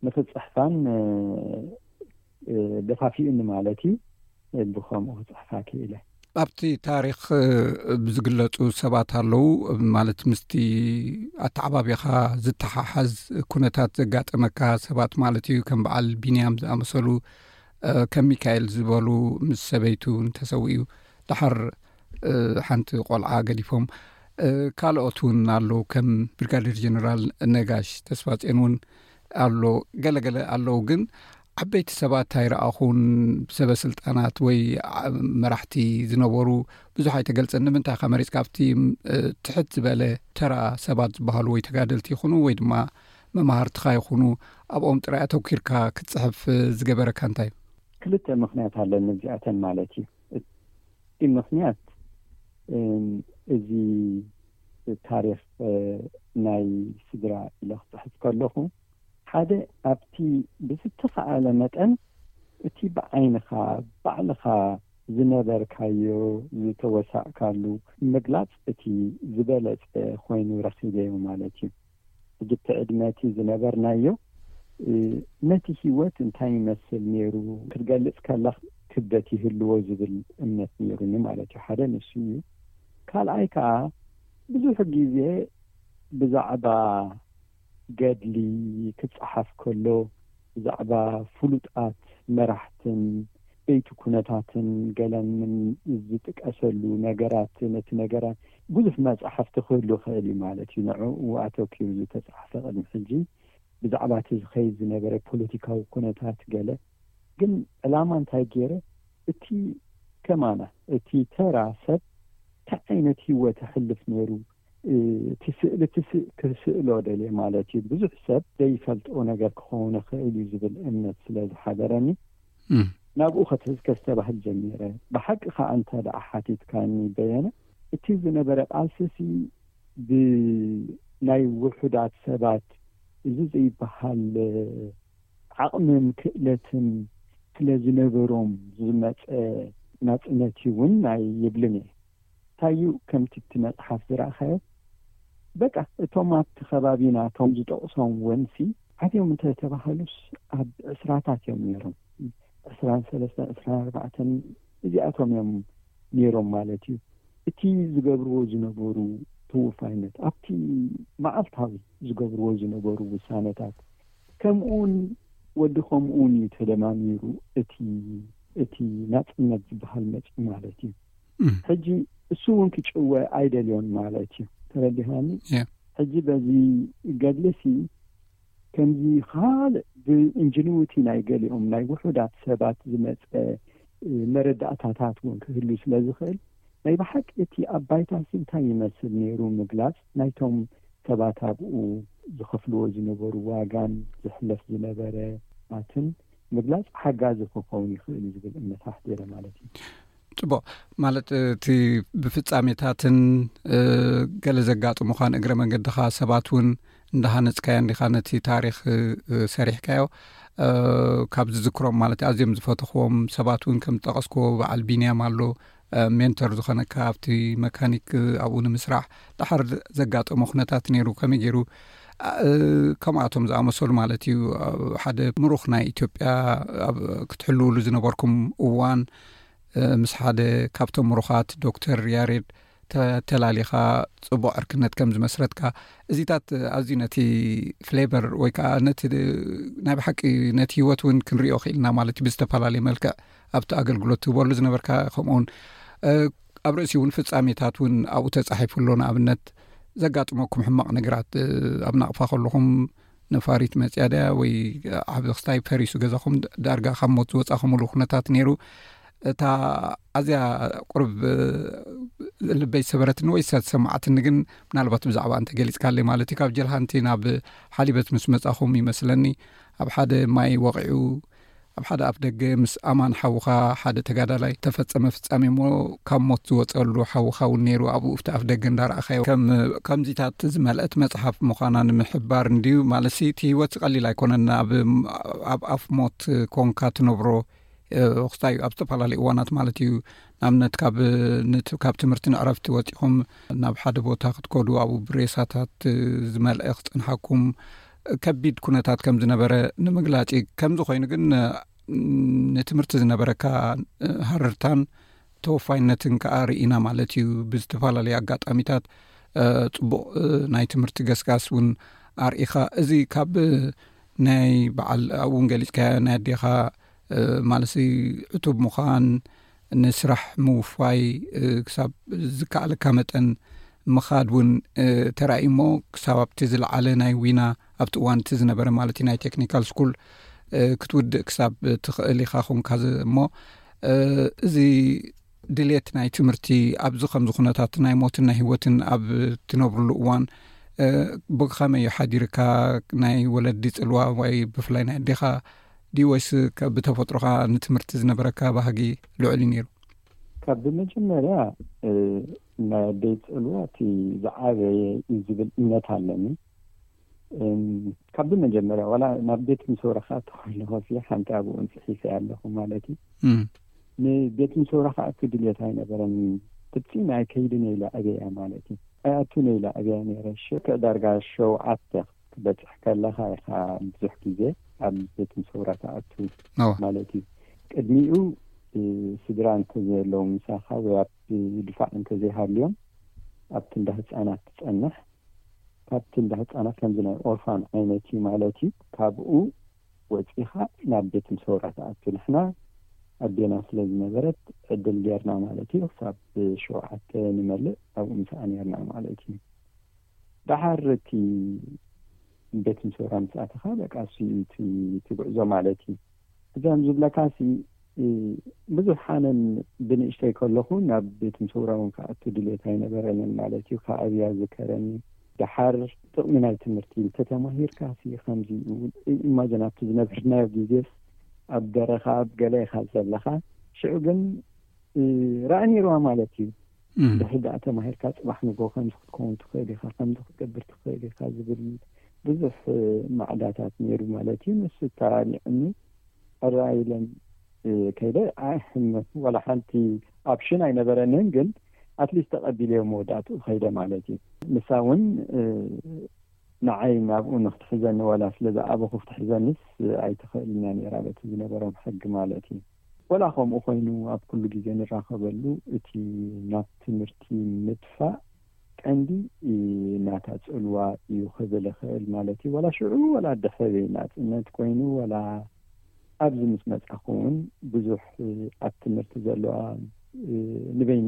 ንኽጽሕፋን ደፋፊኡኒ ማለት እዩ። ብኸምኡ ክጽሕፋ ክኢለ። ኣብቲ ታሪኽ ብዝግለጹ ሰባት ኣለዉ ማለት ምስቲ ኣተዓባቢኻ ዝተሓሓዝ ኩነታት ዘጋጠመካ ሰባት ማለት እዩ። ከም በዓል ቢንያም ዝኣመሰሉ ከም ሚካኤል ዝበሉ ምስ ሰበይቱ እንተሰዊኡ ድሓር ሓንቲ ቆልዓ ገዲፎም ካልኦት እውን ኣለዉ ከም ብርጋዴር ጀነራል ነጋሽ ተስፋጽዮን እውን ኣሎ። ገለገለ ኣለዉ ግን ዓበይቲ ሰባት ኣይረኣኹን። ብሰበ ስልጣናት ወይ መራሕቲ ዝነበሩ ብዙሕ ኣይተገልጸን። ንምንታይ ከ መሪጽካ ኣብቲ ትሕት ዝበለ ተራ ሰባት ዝበሃሉ ወይ ተጋደልቲ ይኹኑ ወይ ድማ መማህርትኻ ይኹኑ ኣብኦም ጥራይ ኣተኪርካ ክትጽሕፍ ዝገበረካ እንታይ እዩ? ክልተ ምኽንያት ኣለኒ እዚኣተን ማለት እዩ። እቲ ምኽንያት እዚ ታሪኽ ናይ ስድራ ኢለ ክጽሕፍ ከለኹ ሓደ ኣብቲ ብዝተኻኣለ መጠን እቲ ብዓይንኻ ባዕልኻ ዝነበርካዮ ዝተወሳእካሉ ምግላጽ እቲ ዝበለጸ ኮይኑ ረኺበዮ ማለት እዩ። ሕጂ እቲ ዕድመ እቲ ዝነበርናዮ ነቲ ህይወት እንታይ ይመስል ነይሩ ክትገልጽ ከለኽ ክብደት ይህልዎ ዝብል እምነት ነይሩኒ ማለት እዩ። ሓደ ንሱ እዩ። ካልኣይ ከዓ ብዙሕ ግዜ ብዛዕባ ገድሊ ክጸሓፍ ከሎ ብዛዕባ ፍሉጣት መራሕትን ቤቱ ኩነታትን ገለን ዝጥቀሰሉ ነገራት ነቲ ነገራት ብዙሕ መጻሕፍቲ ክህሉ ይኽእል እዩ ማለት እዩ። ንዕኡ ኣተኪሩ ዝተጻሕፈ ቅድሚ ሕጂ ብዛዕባ እቲ ዝኸይድ ዝነበረ ፖለቲካዊ ኩነታት ገለ ግን ዕላማ እንታይ ገይረ እቲ ከማና እቲ ተራ ሰብ እንታይ ዓይነት ህይወት ኣሕልፍ ነይሩ እቲ ስእሊ እቲ ስእ- ክስእሎ ደልየ ማለት እዩ። ብዙሕ ሰብ ዘይፈልጦ ነገር ክኸውን ይኽእል እዩ ዝብል እምነት ስለ ዝሓደረኒ እም። ናብኡ ከተ- ከስተባህል ጀሚረ። ብሓቂ ከዓ እንተ ደኣ ሓቲትካኒ በየነ እቲ ዝነበረ ቃልስሲ ብናይ ውሑዳት ሰባት እዚ ዘይበሃል ዓቕምን ክእለትን ስለ ዝነበሮም ዝመፀ ናፅነት እውን ናይ ይብልን እየ። እንታይ እዩ ከምቲ እቲ መፅሓፍ ዝረእኻዮ በቃ እቶም ኣብቲ ከባቢና እቶም ዝጠቕሶም ወንሲ ዓብዮም እንተተባሃሉስ ኣብ ዕስራታት እዮም ነይሮም። ዕስራን ሰለስተን ዕስራን ኣርባዕተን እዚኣቶም እዮም ነይሮም ማለት እዩ። እቲ ዝገብርዎ ዝነበሩ ትውፋይነት ኣብቲ መዓልታዊ ዝገብርዎ ዝነበሩ ውሳነታት ከምኡውን ወዲ ከምኡውን እዩ ተደማሚሩ እቲ እቲ ናፅነት ዝበሃል መፅኡ ማለት እዩ። ሕጂ እሱ እውን ክጭወ ኣይደልዮን ማለት እዩ። ተረዲኻኒ? ሕጂ በዚ ገድልሲ ከምዚ ካልእ ብኢንጅንዊቲ ናይ ገሊኦም ናይ ውሑዳት ሰባት ዝመፀ መረዳእታታት እውን ክህሉ ስለ ዝኽእል ናይ ብሓቂ እቲ ኣብ ባይታሲ እንታይ ይመስል ነይሩ ምግላፅ ናይቶም ሰባት ኣብኡ ዝኸፍልዎ ዝነበሩ ዋጋን ዝሕለፍ ዝነበረ ኣትን ምግላፅ ሓጋዚ ክኸውን ይኽእል እዩ ዝብል እምነት ኣሕዲረ ማለት እዩ። ፅቡቕ። ማለት እቲ ብፍጻሜታትን ገለ ዘጋጥሙኻን እግረ መንገድኻ ሰባት እውን እንዳሃነፅካዮ እንዲኻ ነቲ ታሪኽ ሰሪሕካዮ። ካብ ዝዝክሮም ማለት ኣዝዮም ዝፈተኽዎም ሰባት እውን ከም ዝጠቐስክዎ በዓል ቢንያም ኣሎ፣ ሜንተር ዝኾነካ ኣብቲ መካኒክ ኣብኡ ንምስራሕ ድሓር ዘጋጠሞ ኩነታት ነይሩ። ከመይ ገይሩ ከምኣቶም ዝኣመሰሉ ማለት እዩ ሓደ ምሩኽ ናይ ኢትዮጵያ ክትሕልውሉ ዝነበርኩም እዋን ምስ ሓደ ካብቶም ምሩኻት ዶክተር ያሬድ ተተላሊኻ ጽቡቕ ዕርክነት ከም ዝመስረትካ፣ እዚታት ኣዝዩ ነቲ ፍሌቨር ወይ ከዓ ነቲ ናይ ብሓቂ ነቲ ህይወት እውን ክንሪኦ ክኢልና ማለት እዩ። ብዝተፈላለየ መልክዕ ኣብቲ ኣገልግሎት ትህበሉ ዝነበርካ፣ ከምኡውን ኣብ ርእሲ እውን ፍጻሜታት እውን ኣብኡ ተጻሒፉ ኣሎ። ንኣብነት ዘጋጥመኩም ሕማቕ ነገራት፣ ኣብ ናቕፋ ከለኹም ነፋሪት መጽያ ድያ ወይ ዓቢ ክስታይ ፈሪሱ ገዛኹም፣ ዳርጋ ካብ ሞት ዝወጻኹምሉ ኩነታት ነይሩ። እታ ኣዝያ ቁርብ ልበይ ዝሰበረትኒ ወይ ዝተሰማዓትኒ ግን፣ ምናልባት ብዛዕባ እንተ ገሊጽካለይ ማለት እዩ፣ ካብ ጀልሃንቲ ናብ ሓሊበት ምስ መጻኹም ይመስለኒ፣ ኣብ ሓደ ማይ ወቒዑ፣ ኣብ ሓደ ኣፍ ደገ ምስ ኣማን ሓውኻ ሓደ ተጋዳላይ ተፈጸመ ፍጻሜ እሞ፣ ካብ ሞት ዝወጸሉ ሓውኻ እውን ነይሩ ኣብኡ፣ ኣብቲ ኣፍ ደገ እንዳረኣኻዮ። ከም፣ ከምዚታት ዝመልአት መጽሓፍ ምዃና ንምሕባር እንድዩ። ማለትሲ እቲ ህይወት ቀሊል ኣይኮነን። ኣብ፣ ኣብ ኣፍ ሞት ኮንካ ትነብሮ፣ ክስታይ ኣብ ዝተፈላለዩ እዋናት ማለት እዩ። ንኣብነት ካብ፣ ነት-፣ ካብ ትምህርቲ ንዕረፍቲ ወጺኹም ናብ ሓደ ቦታ ክትከዱ፣ ኣብኡ ብሬሳታት ዝመልአ ክጸንሓኩም ከቢድ ኩነታት ከም ዝነበረ ንምግላጽ እዩ። ከምዚ ኮይኑ ግን፣ ንትምህርቲ ዝነበረካ ሃረርታን ተወፋይነትን ከኣ ርኢና ማለት እዩ። ብዝተፈላለዩ ኣጋጣሚታት፣ ጽቡቕ ናይ ትምህርቲ ገስጋስ እውን ኣርኢኻ። እዚ ካብ ናይ በዓል ኣብኡ እውን ገሊጽካዮ ናይ ኣዴኻ፣ ማለትሲ ዕቱብ ምዃን፣ ንስራሕ ምውፋይ፣ ክሳብ ዝከኣለካ መጠን ምኻድ እውን ተራእዩ እሞ፣ ክሳብ ኣብቲ ዝለዓለ ናይ ዊና፣ ኣብቲ እዋን እቲ ዝነበረ ማለት እዩ፣ ናይ ቴክኒካል ስኩል ክትውድእ ክሳብ ትኽእል ኢኻ ኾንካ ዝ-፣ እሞ፣ እዚ ድሌት ናይ ትምህርቲ ኣብዚ ከምዚ ኩነታት ናይ ሞትን ናይ ህይወትን ኣብ ትነብርሉ እዋን፣ ብኸመይ እዩ ሓዲርካ? ናይ ወለዲ ጽልዋ ወይ ብፍላይ ናይ ኣዴኻ ድዩ ወይስ ከ-፣ ብተፈጥሮኻ ንትምህርቲ ዝነበረካ ባህጊ ልዑል እዩ ነይሩ? ካብ ብመጀመርያ፣ እ፣ ናይ ኣደይ ጽልዋ እቲ ዝዓበየ እዩ ዝብል እምነት ኣለኒ። እም፣ ካብ ብመጀመርያ ዋላ ናብ ቤት ምሰውራ ክኣቱ ከለኹ ሲ ሓንቲ ኣብኡ እንጽሒፈ ኣለኹ ማለት እዩ። እም። ንቤት ምሰውራ ክኣቱ ድልየት ኣይነበረን። ፍጺም ኣይከይድን ኢለ ኣብያ ማለት እዩ። ኣይኣቱን ኢለ ኣብያ ነይረ። ሽዑ ዳርጋ ሸውዓተ ክትበጽሕ ከለኻ ኢኻ ብዙሕ ግዜ ኣብ ቤት ምሰውራ ትኣቱ እወ። ማለት እዩ። ቅድሚኡ፣ እ፣ ስድራ እንተዘየለዉ ምሳኻ ወይ ኣብ ድፋዕ እንተዘይሃልዮም ኣብቲ እንዳ ህጻናት ትጸንሕ። ካብቲ እንዳ ህጻናት ከምዚ ናይ ኦርፋን ዓይነት እዩ ማለት እዩ። ካብኡ ወጺኻ ናብ ቤት ምሰውራ ትኣቱ። ንሕና ኣዴና ስለ ዝነበረት ዕድል ጌርና ማለት እዩ። ክሳብ ሸውዓተ ንመልእ ኣብኡ ምሳኣ ኔርና ማለት እዩ። ደሓር እቲ ቤት ምሰውራ ምስ ኣተኻ በቃ እሱ እዩ እቲ፣ እቲ ጉዕዞ ማለት እዩ። እዚም ዝብለካ ሲ፣ እ፣ ብዙሕ ሓነን ብንእሽተይ ከለኹ ናብ ቤት ምሰውራ እውን ክኣቱ ድሌት ኣይነበረንን ማለት እዩ። ካብ ኣብያ ዝከረኒ ደሓር ጥቕሚ ናይ ትምህርቲ እንተተማሂርካ ሲ ከምዚ እውን ኢ-፣ ኢማጅን ኣብቲ ዝነበርናዮ ግዜስ ኣብ በረኻ ኣብ ገለ ኢኻ ዘለኻ። ሽዑ ግን፣ እ፣ ራእ ነይርዋ ማለት እዩ። እም። ድሕሪ ደኣ ተማሂርካ ጽባሕ ንግሆ ከምዚ ክትከውን ትኽእል ኢኻ፣ ከምዚ ክትገብር ትኽእል ኢኻ ዝብል ብዙሕ፣ እ፣ ማዕዳታት ነይሩ ማለት እዩ። ንሱ ተራኒዑኒ ሕራይ ኢለን፣ እ፣ ከይደ፣ ኣይ፣ ሕመት ዋላ ሓንቲ ኦፕሽን ኣይነበረንን፣ ግን ኣትሊስት ተቐቢለዮ መወዳእትኡ ከይደ ማለት እዩ። ንሳ እውን፣ እ፣ ንዓይ ናብኡ ንክትሕዘኒ ዋላ ስለ ዝኣበኹ ክትሕዘኒስ ኣይትኽእልን እያ ነይራ በቲ ዝነበሮም ሕጊ ማለት እዩ። ዋላ ከምኡ ኮይኑ ኣብ ኩሉ ግዜ ንራኸበሉ እቲ ናብ ትምህርቲ ምጥፋእ ቀንዲ ናታ ጽልዋ እዩ ክብል እኽእል ማለት እዩ። ዋላ ሽዑ ዋላ ድሕሪ ናጽነት ኮይኑ ዋላ ኣብዚ ምስ መጻኹ እውን ብዙሕ ኣብ ትምህርቲ ዘለዋ ንበይኒ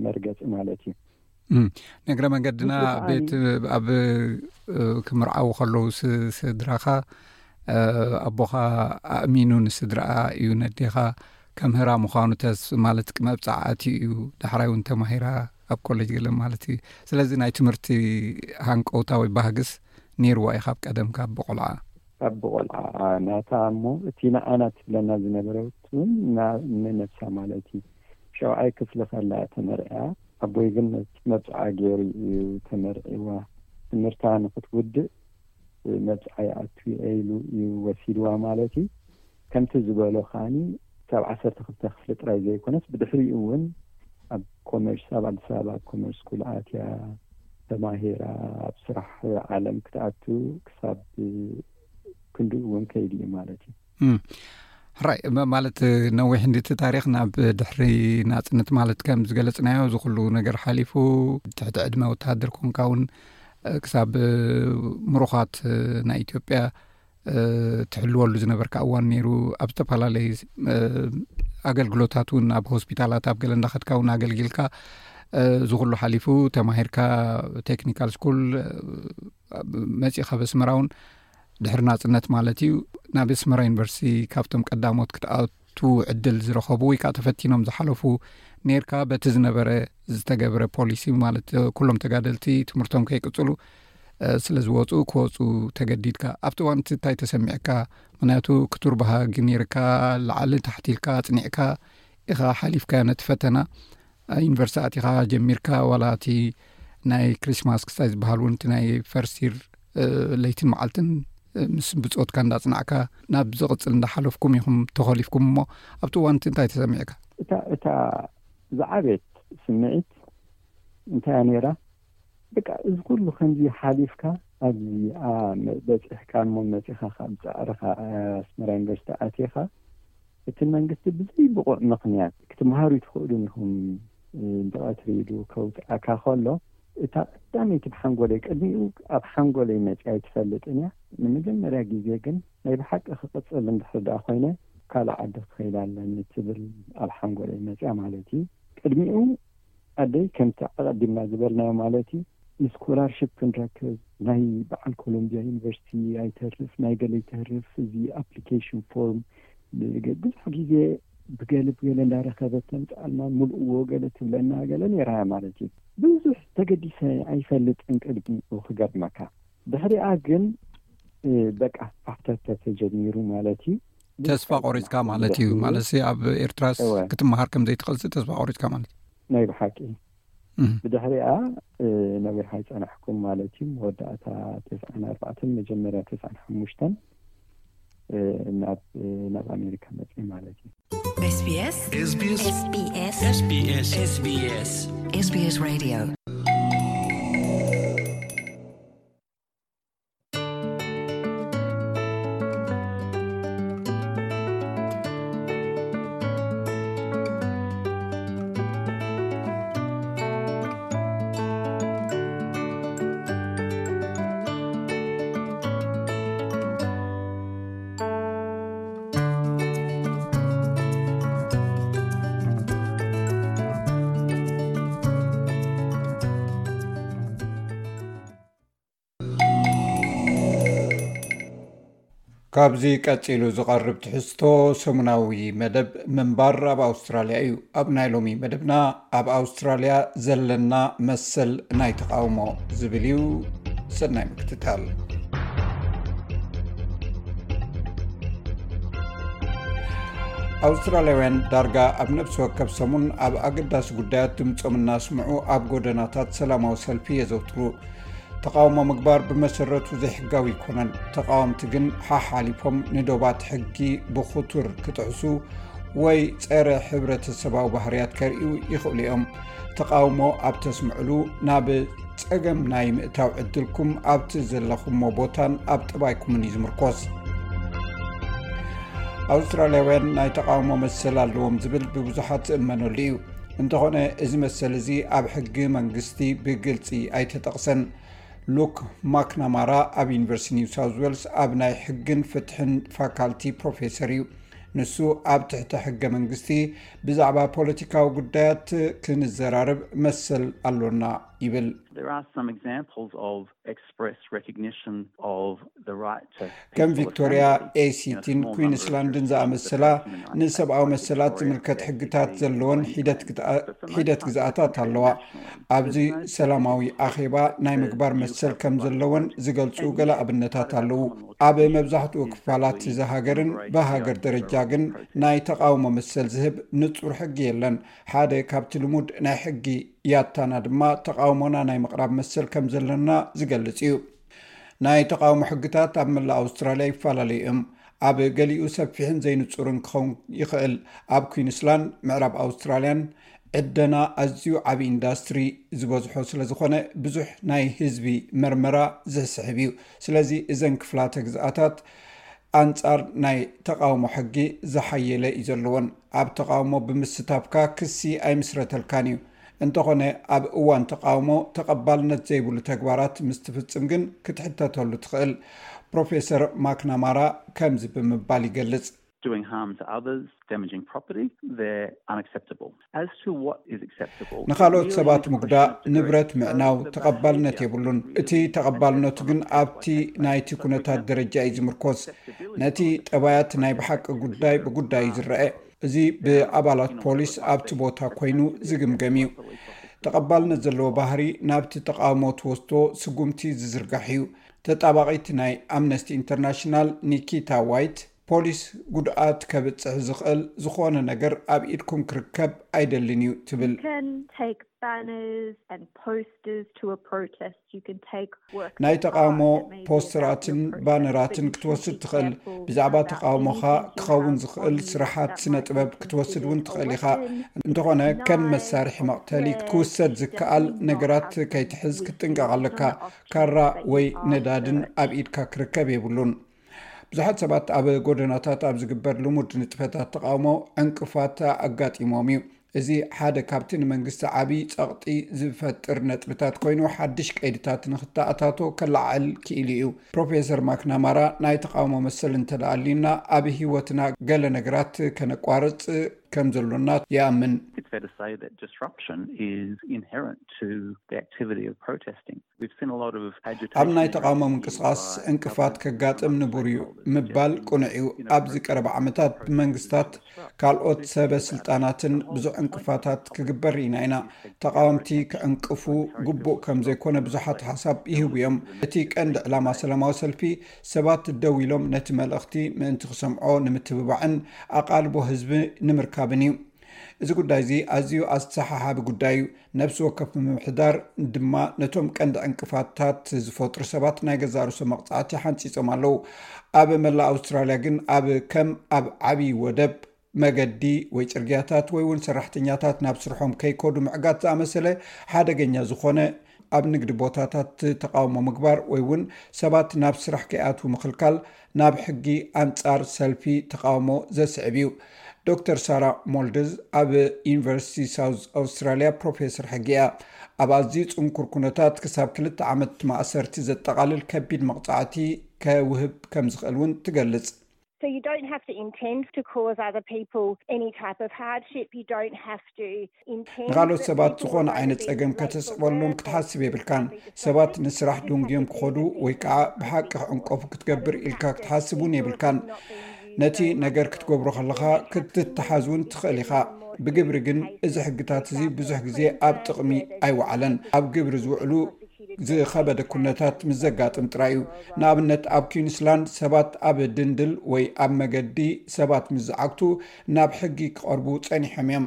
መርገጺ ማለት እዩ። እም፣ ንእግረ መንገድና ንሱ ከኣ ቤት ኣብ፣ እ፣ ክምርዓዉ ከለዉ ስ-፣ ስድራኻ፣ እ፣ ኣቦኻ ኣእሚኑ ንስድራኣ እዩ ነዴኻ ከምህራ ምዃኑ ተስ-፣ ማለት መብጽዓ ኣትዩ እዩ። ዳሕራይ እውን ተማሂራ ኣብ ኮሌጅ ገለ ማለት እዩ። ስለዚ ናይ ትምህርቲ ሃንቀውታ ወይ ባህግስ ነይርዋ እዩ ካብ ቀደም ካብ ብቆልዓ። ካብ ብቆልዓ ናታ እሞ እቲ ንዓና ትብለና ዝነበረት እውን ና-፣ ንነብሳ ማለት እዩ። ሸውዓይ ክፍሊ ከላ ተመርዕያ። ኣቦይ ግን መብጽዓ ገይሩ እዩ ተመርዒዋ። ትምህርታ ንኽትውድእ መብጽዓ ይኣቱ እየ ኢሉ እዩ ወሲድዋ ማለት እዩ። ከምቲ ዝበሎ ከኣኒ ክሳብ ዓሰርተ ክልተ ክፍሊ ጥራይ ዘይኮነስ ብድሕሪኡ እውን ኣብ ኮመርስ፣ ኣብ ኣዲስ ኣበባ ኣብ ኮመርስ ስኩል ኣትያ ተማሂራ ኣብ ስራሕ ዓለም ክትኣቱ ክሳብ ክንድኡ እውን ከይዱ እዩ ማለት እዩ። እም። ሕራይ፣ ማ- ማለት ነዊሕ እንድቲ ታሪኽ ናብ ድሕሪ ናጽነት፣ ማለት ከም ዝገለጽናዮ፣ እዚ ኩሉ ነገር ሓሊፉ፣ ትሕቲ ዕድመ ወተሃደር ኮንካ እውን ክሳብ ምሩኻት ናይ ኢትዮጵያ ትሕልወሉ ዝነበርካ እዋን ነይሩ። ኣብ ዝተፈላለዩ ኣገልግሎታት እውን፣ ኣብ ሆስፒታላት፣ ኣብ ገለ እንዳኸድካ እውን ኣገልጊልካ፣ እዚ ኩሉ ሓሊፉ ተማሂርካ፣ ቴክኒካል ስኩል መጺእኻ፣ በስመራ እውን ድሕሪ ናጽነት ማለት እዩ፣ ናብ ኣስመራ ዩኒቨርሲቲ ካብቶም ቀዳሞት ክትኣቱ ዕድል ዝረኸቡ ወይ ከዓ ተፈቲኖም ዝሓለፉ ነይርካ። በቲ ዝነበረ ዝተገብረ ፖሊሲ፣ ማለት ኩሎም ተጋደልቲ ትምህርቶም ከይቅጽሉ ስለ ዝወፁ፣ ክወፁ ተገዲድካ። ኣብቲ እዋን እቲ እንታይ ተሰሚዕካ? ምክንያቱ ክቱር ባህጊ ነይርካ፣ ላዕሊ ታሕቲ ኢልካ ኣጽኒዕካ ኢኻ ሓሊፍካዮ ነቲ ፈተና። ዩኒቨርሲቲ ኣቲኻ ጀሚርካ፣ ዋላ እቲ ናይ ክሪስማስ ክስታይ ዝበሃል እውን፣ እቲ ናይ ፈርስት ይር ለይትን መዓልትን ምስ ብጾትካ እንዳጽናዕካ ናብ ዝቕጽል እንዳሓለፍኩም ኢኹም ተኾሊፍኩም። እሞ ኣብቲ እዋን እቲ እንታይ ተሰሚዕካ? እታ እታ ዝዓበየት ስምዒት እንታይ እያ ነይራ? በቃ፣ እዚ ኩሉ ከምዚ ሓሊፍካ ኣብዚ በጺሕካ፣ እሞ መጺኻ ካብ ጻዕርኻ ኣስመራ ዩኒቨርሲቲ ኣቲኻ፣ እቲ መንግስቲ ብዘይ ብቑዕ ምኽንያት ክትመሃሩ ኣይትኽእሉን ኢኹም ብቐትሪ ኢሉ ከውጽኣካ ከሎ፣ እታ ቀዳመይቲ ብሓንጎለይ፣ ቅድሚኡ ኣብ ሓንጎለይ መጺኣ ኣይትፈልጥን እያ። ንመጀመርያ ግዜ ግን ናይ ብሓቂ ክቕጽል እንድሕር ደኣ ኮይነ፣ ካልእ ዓዲ ክኸይድ ኣለኒ ትብል ኣብ ሓንጎለይ መጺኣ ማለት እዩ። ቅድሚኡ ኣደይ፣ ከምቲ ኣቐዲምና ዝበልናዮ ማለት እዩ፣ ንስኮላርሽፕ ክንረክብ፣ ናይ በዓል ኮሎምቢያ ዩኒቨርሲቲ ኣይተርፍ፣ ናይ ገለ ይተርፍ፣ እዚ ኣፕሊኬሽን ፎርም ብዙሕ ግዜ ብገለ ብገለ እንዳረኸበት ተምፅኣልና፣ ምልእዎ ገለ ትብለና ገለ ነይራ ማለት እዩ። ብዙሕ ተገዲሰ ኣይፈልጥን ቅድሚኡ ክገርመካ። ድሕሪኣ ግን በቃ ፋሕተተ ተጀሚሩ ማለት እዩ። ተስፋ ቆሪፅካ ማለት እዩ። ማለት ኣብ ኤርትራስ ክትመሃር ከም ዘይትኽእልሲ ተስፋ ቆሪፅካ ማለት እዩ። ናይ ብሓቂ። ብድሕሪኣ ነዊሕ ኣይፀናሕኩን ማለት እዩ። መወዳእታ ተስዓን ኣርባዕተን መጀመርያ ተስዓን ሓሙሽተን ናብ ናብ ኣሜሪካ መፅእ ማለት እዩ። SBS SBS SBS SBS SBS SBS Radio። ካብዚ ቀጺሉ ዝቐርብ ትሕዝቶ ሰሙናዊ መደብ ምንባር ኣብ ኣውስትራልያ እዩ። ኣብ ናይ ሎሚ መደብና፣ ኣብ ኣውስትራልያ ዘለና መሰል ናይ ተቓውሞ ዝብል እዩ። ሰናይ ምክትታል። ኣውስትራልያውያን ዳርጋ ኣብ ነፍሲ ወከፍ ሰሙን ኣብ ኣገዳሲ ጉዳያት ድምጾም እናስምዑ ኣብ ጎደናታት ሰላማዊ ሰልፊ የዘውትሩ። ተቓውሞ ምግባር ብመሰረቱ ዘይሕጋዊ ኣይኮነን። ተቓወምቲ ግን ሓሓሊፎም ንዶባት ሕጊ ብኽቱር ክጥሕሱ ወይ ጸረ ሕብረተሰባዊ ባህርያት ከርእዩ ይኽእሉ እዮም። ተቓውሞ ኣብ ተስምዕሉ ናብ ጸገም ናይ ምእታው ዕድልኩም ኣብቲ ዘለኹሞ ቦታን ኣብ ጠባይኩምን እዩ ዝምርኮስ። ኣውስትራልያውያን ናይ ተቓውሞ መሰል ኣለዎም ዝብል ብብዙሓት ዝእመነሉ እዩ። እንተኾነ፣ እዚ መሰል እዚ ኣብ ሕጊ መንግስቲ ብግልጺ ኣይተጠቕሰን። ሉክ ማክናማራ ኣብ ዩኒቨርሲቲ ኒው ሳውዝ ዌልስ ኣብ ናይ ሕግን ፍትሕን ፋካልቲ ፕሮፌሰር እዩ። ንሱ፣ ኣብ ትሕቲ ሕገ መንግስቲ ብዛዕባ ፖለቲካዊ ጉዳያት ክንዘራረብ መሰል ኣሎና ይብል። There are some examples of express recognition of the right to ከም peaceful ቪክቶሪያ፣ assembly in a ኤሲቲን small number of ኩዊንስላንድን jurisdictions ዝኣመሰላ that are ንሰብኣዊ መሰላት ዝምልከት ሕግታት ዘለወን ሒደት ግዝኣ-፣ ሒደት ግዝኣታት ኣለዋ። ኣብዚ ሰላማዊ ኣኼባ ናይ ምግባር መሰል ከም ዘለወን ዝገልጹ ገለ ኣብነታት ኣለዉ። ኣብ መብዛሕትኡ ክፋላት እዚ ሃገርን ብሃገር ደረጃ ግን ናይ ተቓውሞ መሰል ዝህብ ንጹር ሕጊ የለን። ሓደ ካብቲ ልሙድ ናይ ሕጊ ያታና ድማ ተቓውሞና ናይ ምቕራብ መሰል ከም ዘለና ዝገልጽ እዩ። ናይ ተቓውሞ ሕግታት ኣብ መላእ ኣውስትራልያ ይፈላለዩ እዮም። ኣብ ገሊኡ ሰፊሕን ዘይንጹርን ክኸውን ይኽእል። ኣብ ኩዊንስላንድ፣ ምዕራብ ኣውስትራልያን ዕደና ኣዝዩ ዓቢ ኢንዳስትሪ ዝበዝሖ ስለ ዝኾነ፣ ብዙሕ ናይ ህዝቢ መርመራ ዝስሕብ እዩ። ስለዚ እዘን ክፍላተ ግዝኣታት ኣንጻር ናይ ተቓውሞ ሕጊ ዝሓየለ እዩ ዘለዎን። ኣብ ተቓውሞ ብምስታፍካ ክሲ ኣይምስረተልካን እዩ። እንተኾነ ኣብ እዋን ተቓውሞ ተቐባልነት ዘይብሉ ተግባራት ምስ ትፍጽም ግን ክትሕተተሉ ትኽእል። ፕሮፌሰር ማክናማራ ከምዚ ብምባል ይገልጽ። Doing harm to others, damaging property, they're unacceptable. As to what is acceptable, ንኻልኦት ሰባት ምጉዳእ፣ ንብረት ምዕናው ተቐባልነት የብሉን። እቲ ተቐባልነቱ ግን ኣብቲ ናይቲ ኩነታት ደረጃ እዩ ዝምርኮስ። ነቲ ጠባያት ናይ ብሓቂ ጉዳይ ብጉዳይ እዩ ዝረአ። እዚ ብኣባላት ፖሊስ ኣብቲ ቦታ ኮይኑ ዝግምገም እዩ። ተቐባልነት ዘለዎ ባህሪ ናብቲ ተቓውሞ ትወስዶ ስጉምቲ ዝዝርጋሕ እዩ። ተጣባቒት ናይ ኣምነስቲ ኢንተርናሽናል ኒኪታ ዋይት፣ ፖሊስ ጉድኣት ከብጽሕ ዝኽእል ዝኾነ ነገር ኣብ ኢድኩም ክርከብ ኣይደልን እዩ ትብል። You can take banners and posters to a protest. You can take work ናይ ተቓውሞ ፖስተራትን ባነራትን ክትወስድ ትኽእል። ብዛዕባ ተቓውሞኻ ክኸውን ዝኽእል ስራሓት ስነ ጥበብ ክትወስድ እውን ትኽእል ኢኻ። እንተኾነ ከም መሳርሒ መቕተሊ ክውሰድ ዝከኣል ነገራት ከይትሕዝ ክትጥንቀቕ ኣለካ። ካራ ወይ ነዳድን ኣብ ኢድካ ክርከብ የብሉን። ብዙሓት ሰባት ኣብ ጎደናታት ኣብ ዝግበር ልሙድ ንጥፈታት ተቓውሞ ዕንቅፋት ኣጋጢሞም እዩ። እዚ ሓደ ካብቲ ንመንግስቲ ዓቢ ጸቕጢ ዝፈጥር ነጥብታት ኮይኑ፣ ሓድሽ ቀይድታት ንክተኣታቶ ከለዓዕል ክኢሉ እዩ። ፕሮፌሰር ማክናማራ ናይ ተቓውሞ መሰል እንተደኣ ኣልዩና፣ ኣብ ህይወትና ገለ ነገራት ከነቋርጽ ከም ዘሎና ይኣምን። It's fair to say that disruption is inherent to the activity of protesting. We've seen a lot of agitation. ኣብ ናይ ተቓውሞ ምንቅስቓስ ዕንቅፋት ከጋጥም ንቡር እዩ ምባል ቅኑዕ እዩ። ኣብዚ ቀረባ ዓመታት ብመንግስታት ካልኦት ሰበ ስልጣናትን ብዙሕ ዕንቅፋታት ክግበር ርኢና ኢና። ተቓወምቲ ክዕንቅፉ ግቡእ ከም ዘይኮነ ብዙሓት ሓሳብ ይህቡ እዮም። እቲ ቀንዲ ዕላማ ሰላማዊ ሰልፊ ሰባት ደው ኢሎም ነቲ መልእኽቲ ምእንቲ ክሰምዖ ንምትብባዕን ኣቓልቦ ህዝቢ ንምርካብን እዩ። እዚ ጉዳይ እዚ ኣዝዩ ኣሰሓሓቢ ጉዳይ እዩ። ነፍሲ ወከፍ ምምሕዳር ድማ ነቶም ቀንዲ ዕንቅፋታት ዝፈጥሩ ሰባት ናይ ገዛእ ርእሶም መቕጻዕቲ ሓንጺጾም ኣለዉ። ኣብ መላእ ኣውስትራልያ ግን ኣብ ከም ኣብ ዓቢ ወደብ መገዲ ወይ ጽርግያታት ወይ እውን ሰራሕተኛታት ናብ ስርሖም ከይከዱ ምዕጋት ዝኣመሰለ ሓደገኛ ዝኾነ ኣብ ንግዲ ቦታታት ተቓውሞ ምግባር ወይ እውን ሰባት ናብ ስራሕ ከይኣትዉ ምኽልካል ናብ ሕጊ ኣንጻር ሰልፊ ተቓውሞ ዘስዕብ እዩ። ዶክተር ሳራ ሞልድዝ ኣብ ዩኒቨርሲቲ ሳውዝ ኣውስትራልያ ፕሮፌሰር ሕጊ እያ። ኣብ ኣዝዩ ጽንኩር ኩነታት ክሳብ ክልተ ዓመት ማእሰርቲ ዘጠቓልል ከቢድ መቕጻዕቲ ከውህብ ከም ዝኽእል እውን ትገልጽ። So you don't have to intend to cause other people any type of hardship. You don't have to intend ንኻልኦት ሰባት ዝኾነ ዓይነት ጸገም ከተስዕበሎም ክትሓስብ የብልካን። ሰባት ንስራሕ ደንጉዮም ክኸዱ ወይ ከዓ ብሓቂ ክዕንቀፉ ክትገብር ኢልካ ክትሓስብ እውን የብልካን። ነቲ ነገር ክትገብሮ ከለኻ ክትተሓዝ እውን ትኽእል ኢኻ። ብግብሪ ግን እዚ ሕግታት እዚ ብዙሕ ግዜ ኣብ ጥቕሚ ኣይወዓለን። ኣብ ግብሪ ዝውዕሉ ዝኸበደ ኩነታት ምስ ዘጋጥም ጥራይ እዩ። ንኣብነት ኣብ ኩዊንስላንድ ሰባት ኣብ ድንድል ወይ ኣብ መገዲ ሰባት ምስ ዝዓግቱ ናብ ሕጊ ክቐርቡ ጸኒሖም እዮም።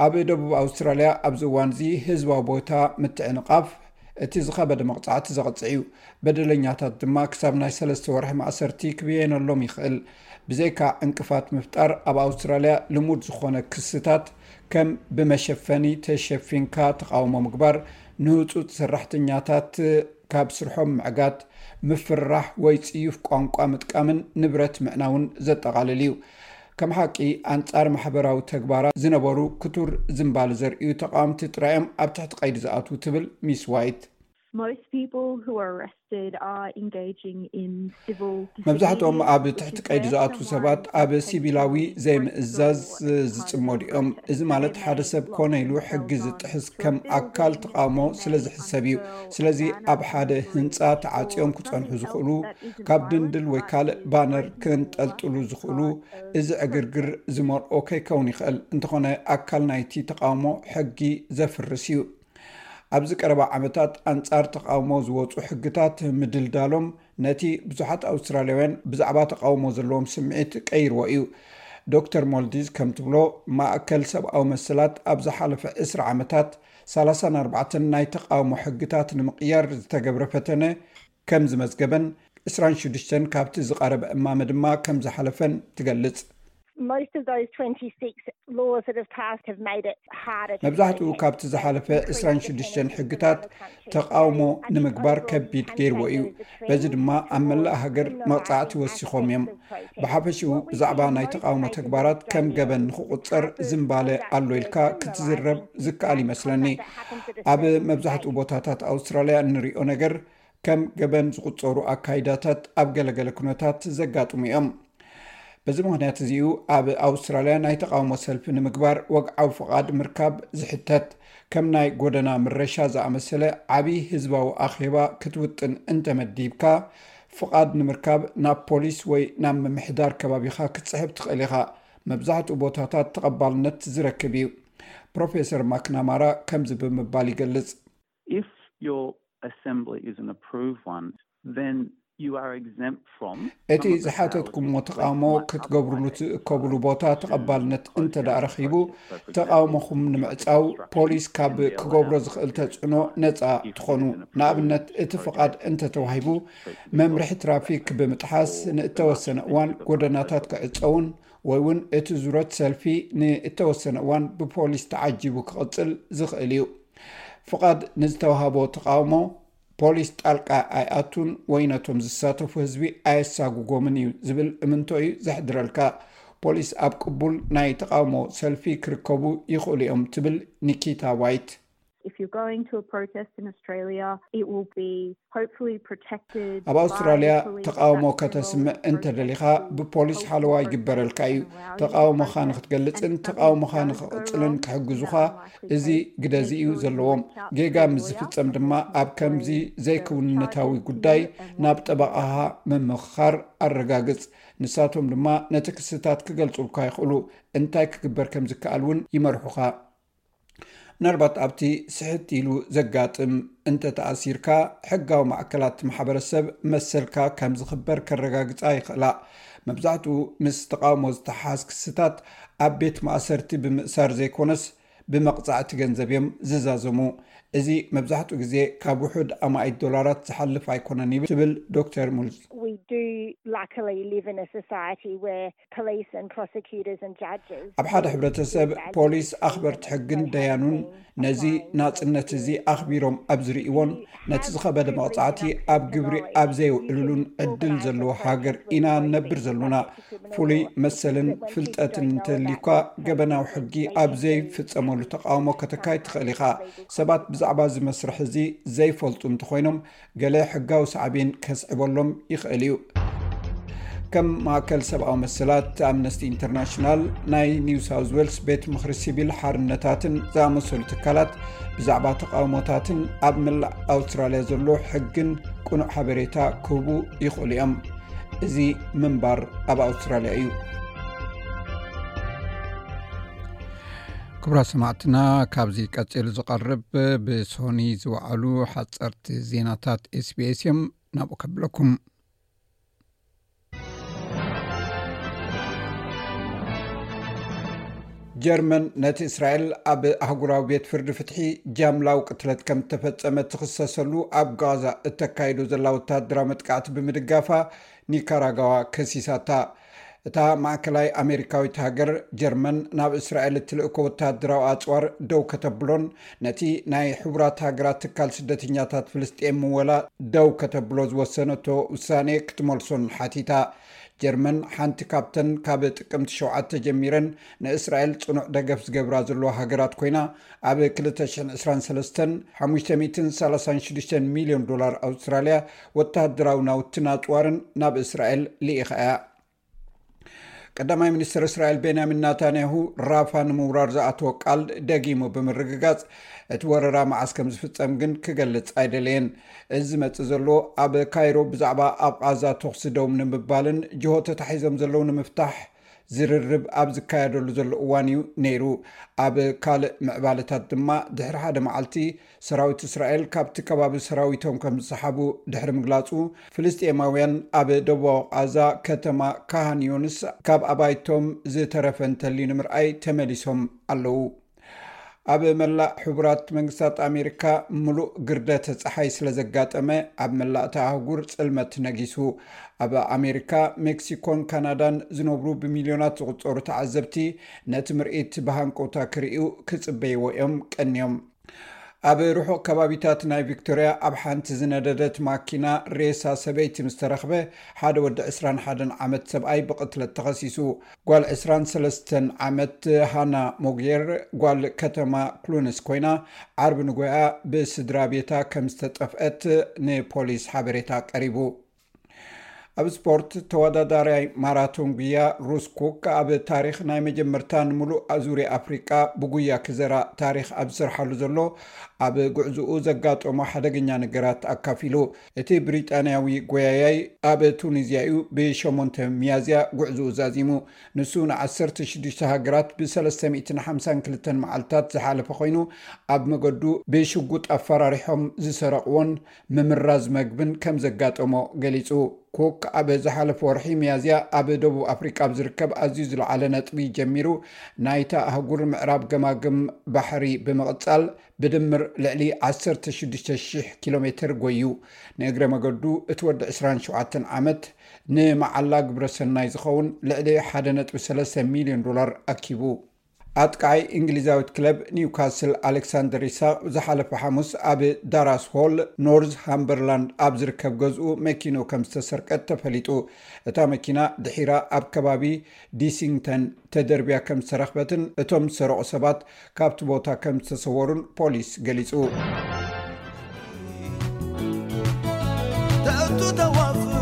ኣብ ደቡብ ኣውስትራልያ ኣብዚ እዋን እዚ ህዝባዊ ቦታ ምትዕንቓፍ እቲ ዝኸበደ መቕጻዕቲ ዘቕጽዕ እዩ። በደለኛታት ድማ ክሳብ ናይ ሰለስተ ወርሒ ማእሰርቲ ክብየነሎም ይኽእል። ብዘይካ ዕንቅፋት ምፍጣር ኣብ ኣውስትራልያ ልሙድ ዝኾነ ክስታት ከም ብመሸፈኒ ተሸፊንካ ተቓውሞ ምግባር፣ ንህጹጽ ሰራሕተኛታት ካብ ስርሖም ምዕጋት፣ ምፍርራሕ ወይ ጽዩፍ ቋንቋ ምጥቃምን ንብረት ምዕናውን ዘጠቓልል እዩ። ከም ሓቂ ኣንጻር ማሕበራዊ ተግባራት ዝነበሩ ክቱር ዝንባል ዘርእዩ ተቓወምቲ ጥራዮም ኣብ ትሕቲ ቀይዲ ዝኣትዉ ትብል ሚስ ዋይት። Most people who are arrested are engaging in civil መብዛሕትኦም ኣብ ትሕቲ ቀይዲ ዝኣትዉ ሰባት ኣብ ሲቪላዊ ዘይምእዛዝ ዝጽመዱ እዮም። እዚ ማለት ሓደ ሰብ ኮነ ኢሉ ሕጊ ዝጥሕስ ከም ኣካል ተቓውሞ ስለ ዝሕሰብ እዩ። ስለዚ ኣብ ሓደ ህንጻ ተዓጽዮም ክጸንሑ ዝኽእሉ፣ ካብ ድንድል ወይ ካልእ ባነር ክንጠልጥሉ ዝኽእሉ፣ እዚ ዕግርግር ዝመርኦ ከይከውን ይኽእል። እንተኾነ ኣካል ናይቲ ተቓውሞ ሕጊ ዘፍርስ እዩ። ኣብዚ ቀረባ ዓመታት ኣንጻር ተቓውሞ ዝወጹ ሕግታት ምድልዳሎም ነቲ ብዙሓት ኣውስትራልያውያን ብዛዕባ ተቓውሞ ዘለዎም ስምዒት ቀይርዎ እዩ። ዶክተር ሞልዲዝ ከም ትብሎ፣ ማእከል ሰብኣዊ መሰላት ኣብ ዝሓለፈ ዕስራ ዓመታት ሰላሳን ኣርባዕተን ናይ ተቓውሞ ሕግታት ንምቕያር ዝተገብረ ፈተነ ከም ዝመዝገበን ዕስራን ሽዱሽተን ካብቲ ዝቐረበ እማመ ድማ ከም ዝሓለፈን ትገልጽ። Most of those twenty-six laws that have passed have made it harder to መብዛሕትኡ ካብቲ ዝሓለፈ ዕስራን ሽዱሽተን ሕግታት ተቃውሞ ንምግባር ከቢድ ገይርዎ እዩ። በዚ ድማ ኣብ መላእ ሃገር መቕጻዕቲ ወሲኾም እዮም። ብሓፈሽኡ ብዛዕባ ናይ ተቃውሞ ተግባራት ከም ገበን ንክቁጸር ዝምባለ ኣሎ ኢልካ ክትዝረብ ዝከኣል ይመስለኒ። ኣብ መብዛሕትኡ ቦታታት ኣውስትራልያ እንሪኦ ነገር ከም ገበን ዝቁጸሩ ኣካይዳታት ኣብ ገለገለ ኩነታት ዘጋጥሙ እዮም። በዚ ምኽንያት እዚኡ ኣብ ኣውስትራልያ ናይ ተቃውሞ ሰልፊ ንምግባር ወግዓዊ ፍቓድ ምርካብ ዝሕተት፣ ከም ናይ ጎደና ምረሻ ዝኣመሰለ ዓቢ ህዝባዊ ኣኼባ ክትውጥን እንተመዲብካ፣ ፍቓድ ንምርካብ ናብ ፖሊስ ወይ ናብ ምምሕዳር ከባቢኻ ክትጽሕፍ ትኽእል ኢኻ። መብዛሕትኡ ቦታታት ተቐባልነት ዝረክብ እዩ። ፕሮፌሰር ማክናማራ ከምዚ ብምባል ይገልጽ። If your assembly is an approved one, then you are exempt from እቲ ዝሓተትኩሞ ተቃውሞ ክትገብርሉ ትእከብሉ ቦታ ተቐባልነት እንተ ደኣ ረኺቡ፣ ተቃውሞኹም ንምዕጻው ፖሊስ ካብ ክገብሮ ዝኽእል ተጽዕኖ ነጻ ትኾኑ። ንኣብነት፣ እቲ ፍቓድ እንተ ተዋሂቡ፣ መምርሒ ትራፊክ ብምጥሓስ ንእተወሰነ እዋን ጎደናታት ክዕጸውን ወይ እውን እቲ ዙረት ሰልፊ ንእተወሰነ እዋን ብፖሊስ ተዓጂቡ ክቕጽል ዝኽእል እዩ። ፍቓድ ንዝተዋህቦ ተቃውሞ ፖሊስ ጣልቃ ኣይኣቱን ወይ ነቶም ዝሳተፉ ህዝቢ ኣየሳጉጎምን እዩ ዝብል እምንቶ እዩ ዘሕድረልካ። ፖሊስ ኣብ ቅቡል ናይ ተቃውሞ ሰልፊ ክርከቡ ይኽእሉ እዮም ትብል ኒኪታ ዋይት። If you're going to a protest in Australia, it will be hopefully protected. ኣብ ኣውስትራልያ ተቃውሞ ከተስምዕ እንተደሊኻ ብፖሊስ ሓለዋ ይግበረልካ እዩ። ተቃውሞኻ ንክትገልጽን ተቃውሞኻ ንክቕጽልን ክሕግዙኻ እዚ ግደ እዚ እዩ ዘለዎም። ጌጋ ምስ ዝፍጸም ድማ ኣብ ከምዚ ዘይክውንነታዊ ጉዳይ ናብ ጠበቓኻ ምምኽኻር ኣረጋግጽ። ንሳቶም ድማ ነቲ ክስታት ክገልጹልካ ይኽእሉ። እንታይ ክግበር ከም ዝከኣል እውን ይመርሑኻ። ምናልባት ኣብቲ ስሕት ኢሉ ዘጋጥም እንተ ተኣሲርካ፣ ሕጋዊ ማዕከላት ማሕበረሰብ መሰልካ ከም ዝኽበር ከረጋግጻ ይኽእላ። መብዛሕትኡ ምስ ተቃውሞ ዝተሓሓዝ ክስታት ኣብ ቤት ማእሰርቲ ብምእሳር ዘይኮነስ ብመቕጻዕቲ ገንዘብ እዮም ዝዛዘሙ። እዚ መብዛሕትኡ ግዜ ካብ ውሑድ ኣማኢት ዶላራት ዝሓልፍ ኣይኮነን ይብል ትብል ዶክተር ሙልዝ። We do luckily live in a society where police and prosecutors and judges ኣብ ሓደ ሕብረተሰብ ፖሊስ፣ ኣኽበርቲ ሕግን ደያኑን ነዚ ናጽነት እዚ ኣኽቢሮም ኣብ ዝርእይዎን ነቲ ዝኸበደ መቕጻዕቲ ኣብ ግብሪ ኣብ ዘየውዕልሉን ዕድል ዘለዎ ሃገር ኢና ንነብር ዘሎና። ፍሉይ መሰልን ፍልጠትን እንተልዩካ፣ ገበናዊ ሕጊ ኣብ ዘይፍጸመሉ ተቃውሞ ከተካይድ ትኽእል ኢኻ። ሰባት ብዛዕባ እዚ መስርሕ እዚ ዘይፈልጡ እንተኾይኖም፣ ገለ ሕጋዊ ሳዕቤን ከስዕበሎም ይኽእል እዩ። ከም ማእከል ሰብኣዊ መሰላት፣ ኣምነስቲ ኢንተርናሽናል፣ ናይ ኒው ሳውዝ ዌልስ ቤት ምኽሪ ሲቪል ሓርነታትን ዝኣመሰሉ ትካላት ብዛዕባ ተቃውሞታትን ኣብ መላእ ኣውስትራልያ ዘሎ ሕግን ቅኑዕ ሓበሬታ ክህቡ ይኽእሉ እዮም። እዚ ምንባር ኣብ ኣውስትራልያ እዩ። ክቡራት ሰማዕትና፣ ካብዚ ቀጺሉ ዝቐርብ ብሶኒ ዝወዓሉ ሓጸርቲ ዜናታት ኤስቢኤስ እዮም። ናብኡ ከብለኩም። ጀርመን ነቲ እስራኤል ኣብ ኣህጉራዊ ቤት ፍርዲ ፍትሒ ጃምላዊ ቅትለት ከም እተፈጸመ ትኽሰሰሉ ኣብ ጋዛ እተካይዶ ዘላ ወታደራዊ መጥቃዕቲ ብምድጋፋ ኒካራጋዋ ከሲሳታ። እታ ማእከላይ ኣሜሪካዊት ሃገር ጀርመን ናብ እስራኤል እትልእኮ ወታደራዊ ኣጽዋር ደው ከተብሎን ነቲ ናይ ሕቡራት ሃገራት ትካል ስደተኛታት ፍልስጤም ምወላ ደው ከተብሎ ዝወሰነቶ ውሳኔ ክትመልሶን ሓቲታ። ጀርመን ሓንቲ ካብተን ካብ ጥቅምቲ ሸውዓተ ጀሚረን ንእስራኤል ጽኑዕ ደገፍ ዝገብራ ዘለዋ ሃገራት ኮይና፣ ኣብ ክልተ ሽሕን ዕስራን ሰለስተን ሓሙሽተ ሚእትን ሰላሳን ሽዱሽተን ሚልዮን ዶላር ኣውስትራልያ ወታደራዊ ናውትን ኣጽዋርን ናብ እስራኤል ልኢኻ እያ። ቀዳማይ ሚኒስትር እስራኤል ቤንያሚን ናታንያሁ ራፋ ንምውራር ዝኣተወ ቃል ደጊሙ ብምርግጋጽ፣ እቲ ወረራ መዓስ ከም ዝፍጸም ግን ክገልጽ ኣይደለየን። እዚ ዝመጽእ ዘሎ ኣብ ካይሮ ብዛዕባ ኣብ ቓዛ ተኹሲ ደው ንምባልን ጅሆ ተታሒዞም ዘለዉ ንምፍታሕ ዝርርብ ኣብ ዝካየደሉ ዘሎ እዋን እዩ ነይሩ። ኣብ ካልእ ምዕባለታት ድማ፣ ድሕሪ ሓደ መዓልቲ ሰራዊት እስራኤል ካብቲ ከባቢ ሰራዊቶም ከም ዝሰሓቡ ድሕሪ ምግላጹ፣ ፍልስጤማውያን ኣብ ደቡባዊ ቓዛ ከተማ ካሃን ዮንስ ካብ ኣባይቶም ዝተረፈ እንተልዩ ንምርኣይ ተመሊሶም ኣለዉ። ኣብ መላእ ሕቡራት መንግስታት ኣሜሪካ ምሉእ ግርደተ ጸሓይ ስለ ዘጋጠመ፣ ኣብ መላእ እታ ኣህጉር ጽልመት ነጊሱ። ኣብ ኣሜሪካ፣ ሜክሲኮን ካናዳን ዝነብሩ ብሚልዮናት ዝቑጸሩ ተዓዘብቲ፣ ነቲ ምርኢት ብሃንቀውታ ክርእዩ ክጽበይዎ እዮም ቀንዮም። ኣብ ርሑቕ ከባቢታት ናይ ቪክቶርያ፣ ኣብ ሓንቲ ዝነደደት ማኪና ሬሳ ሰበይቲ ምስ ተረኽበ፣ ሓደ ወዲ ዕስራን ሓደን ዓመት ሰብኣይ ብቕትለት ተኸሲሱ። ጓል ዕስራን ሰለስተን ዓመት ሃና ሞግየር፣ ጓል ከተማ ክሉንስ ኮይና፣ ዓርቢ ንጎያ ብስድራ ቤታ ከም ዝተጠፍአት ንፖሊስ ሓበሬታ ቀሪቡ። ኣብ ስፖርት፣ ተወዳዳራይ ማራቶን ጉያ ሩስ ኩክ፣ ኣብ ታሪኽ ናይ መጀመርታ ንምሉእ ዙርያ ኣፍሪቃ ብጉያ ክዘራ ታሪኽ ኣብ ዝሰርሓሉ ዘሎ፣ ኣብ ጉዕዝኡ ዘጋጠሞ ሓደገኛ ነገራት ኣካፊሉ። እቲ ብሪጣንያዊ ጎያያይ ኣብ ቱኒዝያ እዩ ብሸሞንተ ሚያዝያ ጉዕዝኡ ዛዚሙ። ንሱ ን ዓሰርተ ሽዱሽተ ሃገራት ብ ሰለስተ ሚእትን ሓምሳን ክልተን መዓልታት ዝሓለፈ ኮይኑ፣ ኣብ መገዱ ብሽጉጥ ኣፈራሪሖም ዝሰረቕዎን ምምራዝ መግብን ከም ዘጋጠሞ ገሊጹ። ኩክ ኣብ ዝሓለፈ ወርሒ ሚያዝያ ኣብ ደቡብ ኣፍሪቃ ኣብ ዝርከብ ኣዝዩ ዝለዓለ ነጥቢ ጀሚሩ፣ ናይታ ኣህጉር ምዕራብ ገማግም ባሕሪ ብምቕጻል፣ ብድምር ልዕሊ ዓሰርተ ሽዱሽተ ሽሕ ኪሎ ሜትር ጎዩ። ንእግረ መገዱ እቲ ወዲ ዕስራን ሸውዓተን ዓመት፣ ንመዓላ ግብረ ሰናይ ዝኸውን ልዕሊ ሓደ ነጥቢ ሰለስተ ሚልዮን ዶላር ኣኪቡ። ኣጥቃዓይ እንግሊዛዊት ክለብ ኒውካስል ኣሌክሳንደር ኢሳቕ ዝሓለፈ ሓሙስ ኣብ ዳራስ ሆል፣ ኖርዝ ሃምበርላንድ ኣብ ዝርከብ ገዝኡ መኪንኡ ከም ዝተሰርቀት ተፈሊጡ። እታ መኪና ድሒራ ኣብ ከባቢ ዲሲንግተን ተደርብያ ከም ዝተረኽበትን እቶም ዝሰረቑ ሰባት ካብቲ ቦታ ከም ዝተሰወሩን ፖሊስ ገሊጹ። ተእቱ ተዋፍር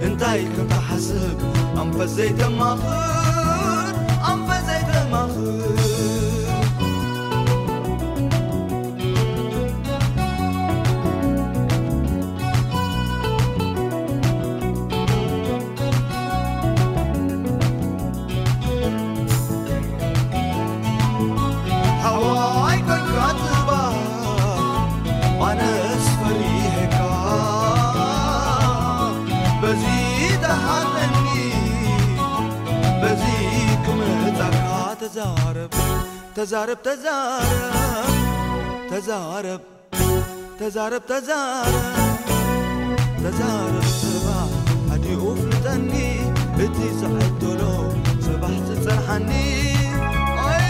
እንታይ ኢልካ ትሓስብ? ኣንፈት ዘይተማኽር፣ ኣንፈት ዘይተማኽር። ሓዋይ ኮንካ ጽባሕ፣ ኣነስ ፈሪሄካ። በዚ ተሓተኒ፣ በዚ ክመጻካ። ተዛረብ፣ ተዛረብ፣ ተዛረብ፣ ተዛረብ። ተዛረብ፣ ተዛረብ፣ ተዛረብ፣ ጽባሕ ኣዲኡ ፍልጠኒ፣ እቲ ዝዕደሎ ጽባሕ ዝጸንሓኒ። ኣይ።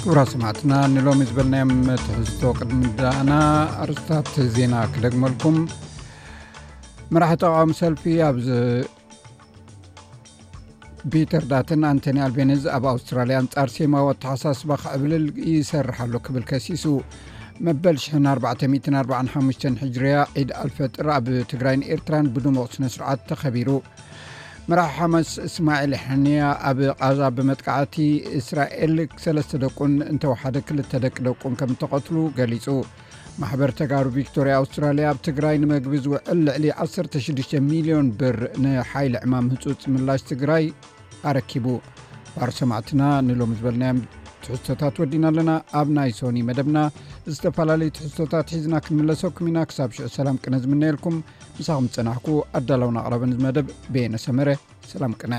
ክቡራት ሰማዕትና፣ ንሎሚ ዝበልናዮም ትሕዝቶ ቅድሚ ምድኣና፣ ኣርእስታት ዜና ክደግመልኩም። መራሒ ተቃዋሚ ሰልፊ ኣብ ዝ-፣ ፒተር ዳትን ኣንቶኒ ኣልቤኒዝ ኣብ ኣውስትራልያ ኣንጻር ሴማዊ ኣተሓሳስባ ክዕብልል ይሰርሕ ኣሎ ክብል ከሲሱ። መበል ሽሕን ኣርባዕተ ሚእትን ኣርባዓን ሓሙሽተን ሕጅርያ ዒድ ኣልፈጥር ኣብ ትግራይን ኤርትራን ብድሙቕ ስነ ስርዓት ተኸቢሩ። መራሒ ሓማስ እስማዒል ሕንያ ኣብ ቃዛ ብመጥቃዕቲ እስራኤል ሰለስተ ደቁን እንተወሓደ ክልተ ደቂ ደቁን ከም እተቐትሉ ገሊጹ። ማሕበር ተጋሩ ቪክቶርያ ኣውስትራልያ ኣብ ትግራይ ንመግቢ ዝውዕል ልዕሊ ዓሰርተ ሽዱሽተ ሚልዮን ብር ንሓይሊ ዕማም ህጹጽ ምላሽ ትግራይ ኣረኪቡ። ባር ሰማዕትና ንሎሚ ዝበልናዮም ትሕዝቶታት ወዲና ኣለና። ኣብ ናይ ሶኒ መደብና ዝተፈላለዩ ትሕዝቶታት ሒዝና ክንምለሰኩም ኢና። ክሳብ ሽዑ ሰላም ቅነ ዝምነየልኩም። ምሳኹም ዝጸናሕኩ ኣዳላውን ኣቕራብን እዚ መደብ በየነ ሰመረ። ሰላም ቅነ።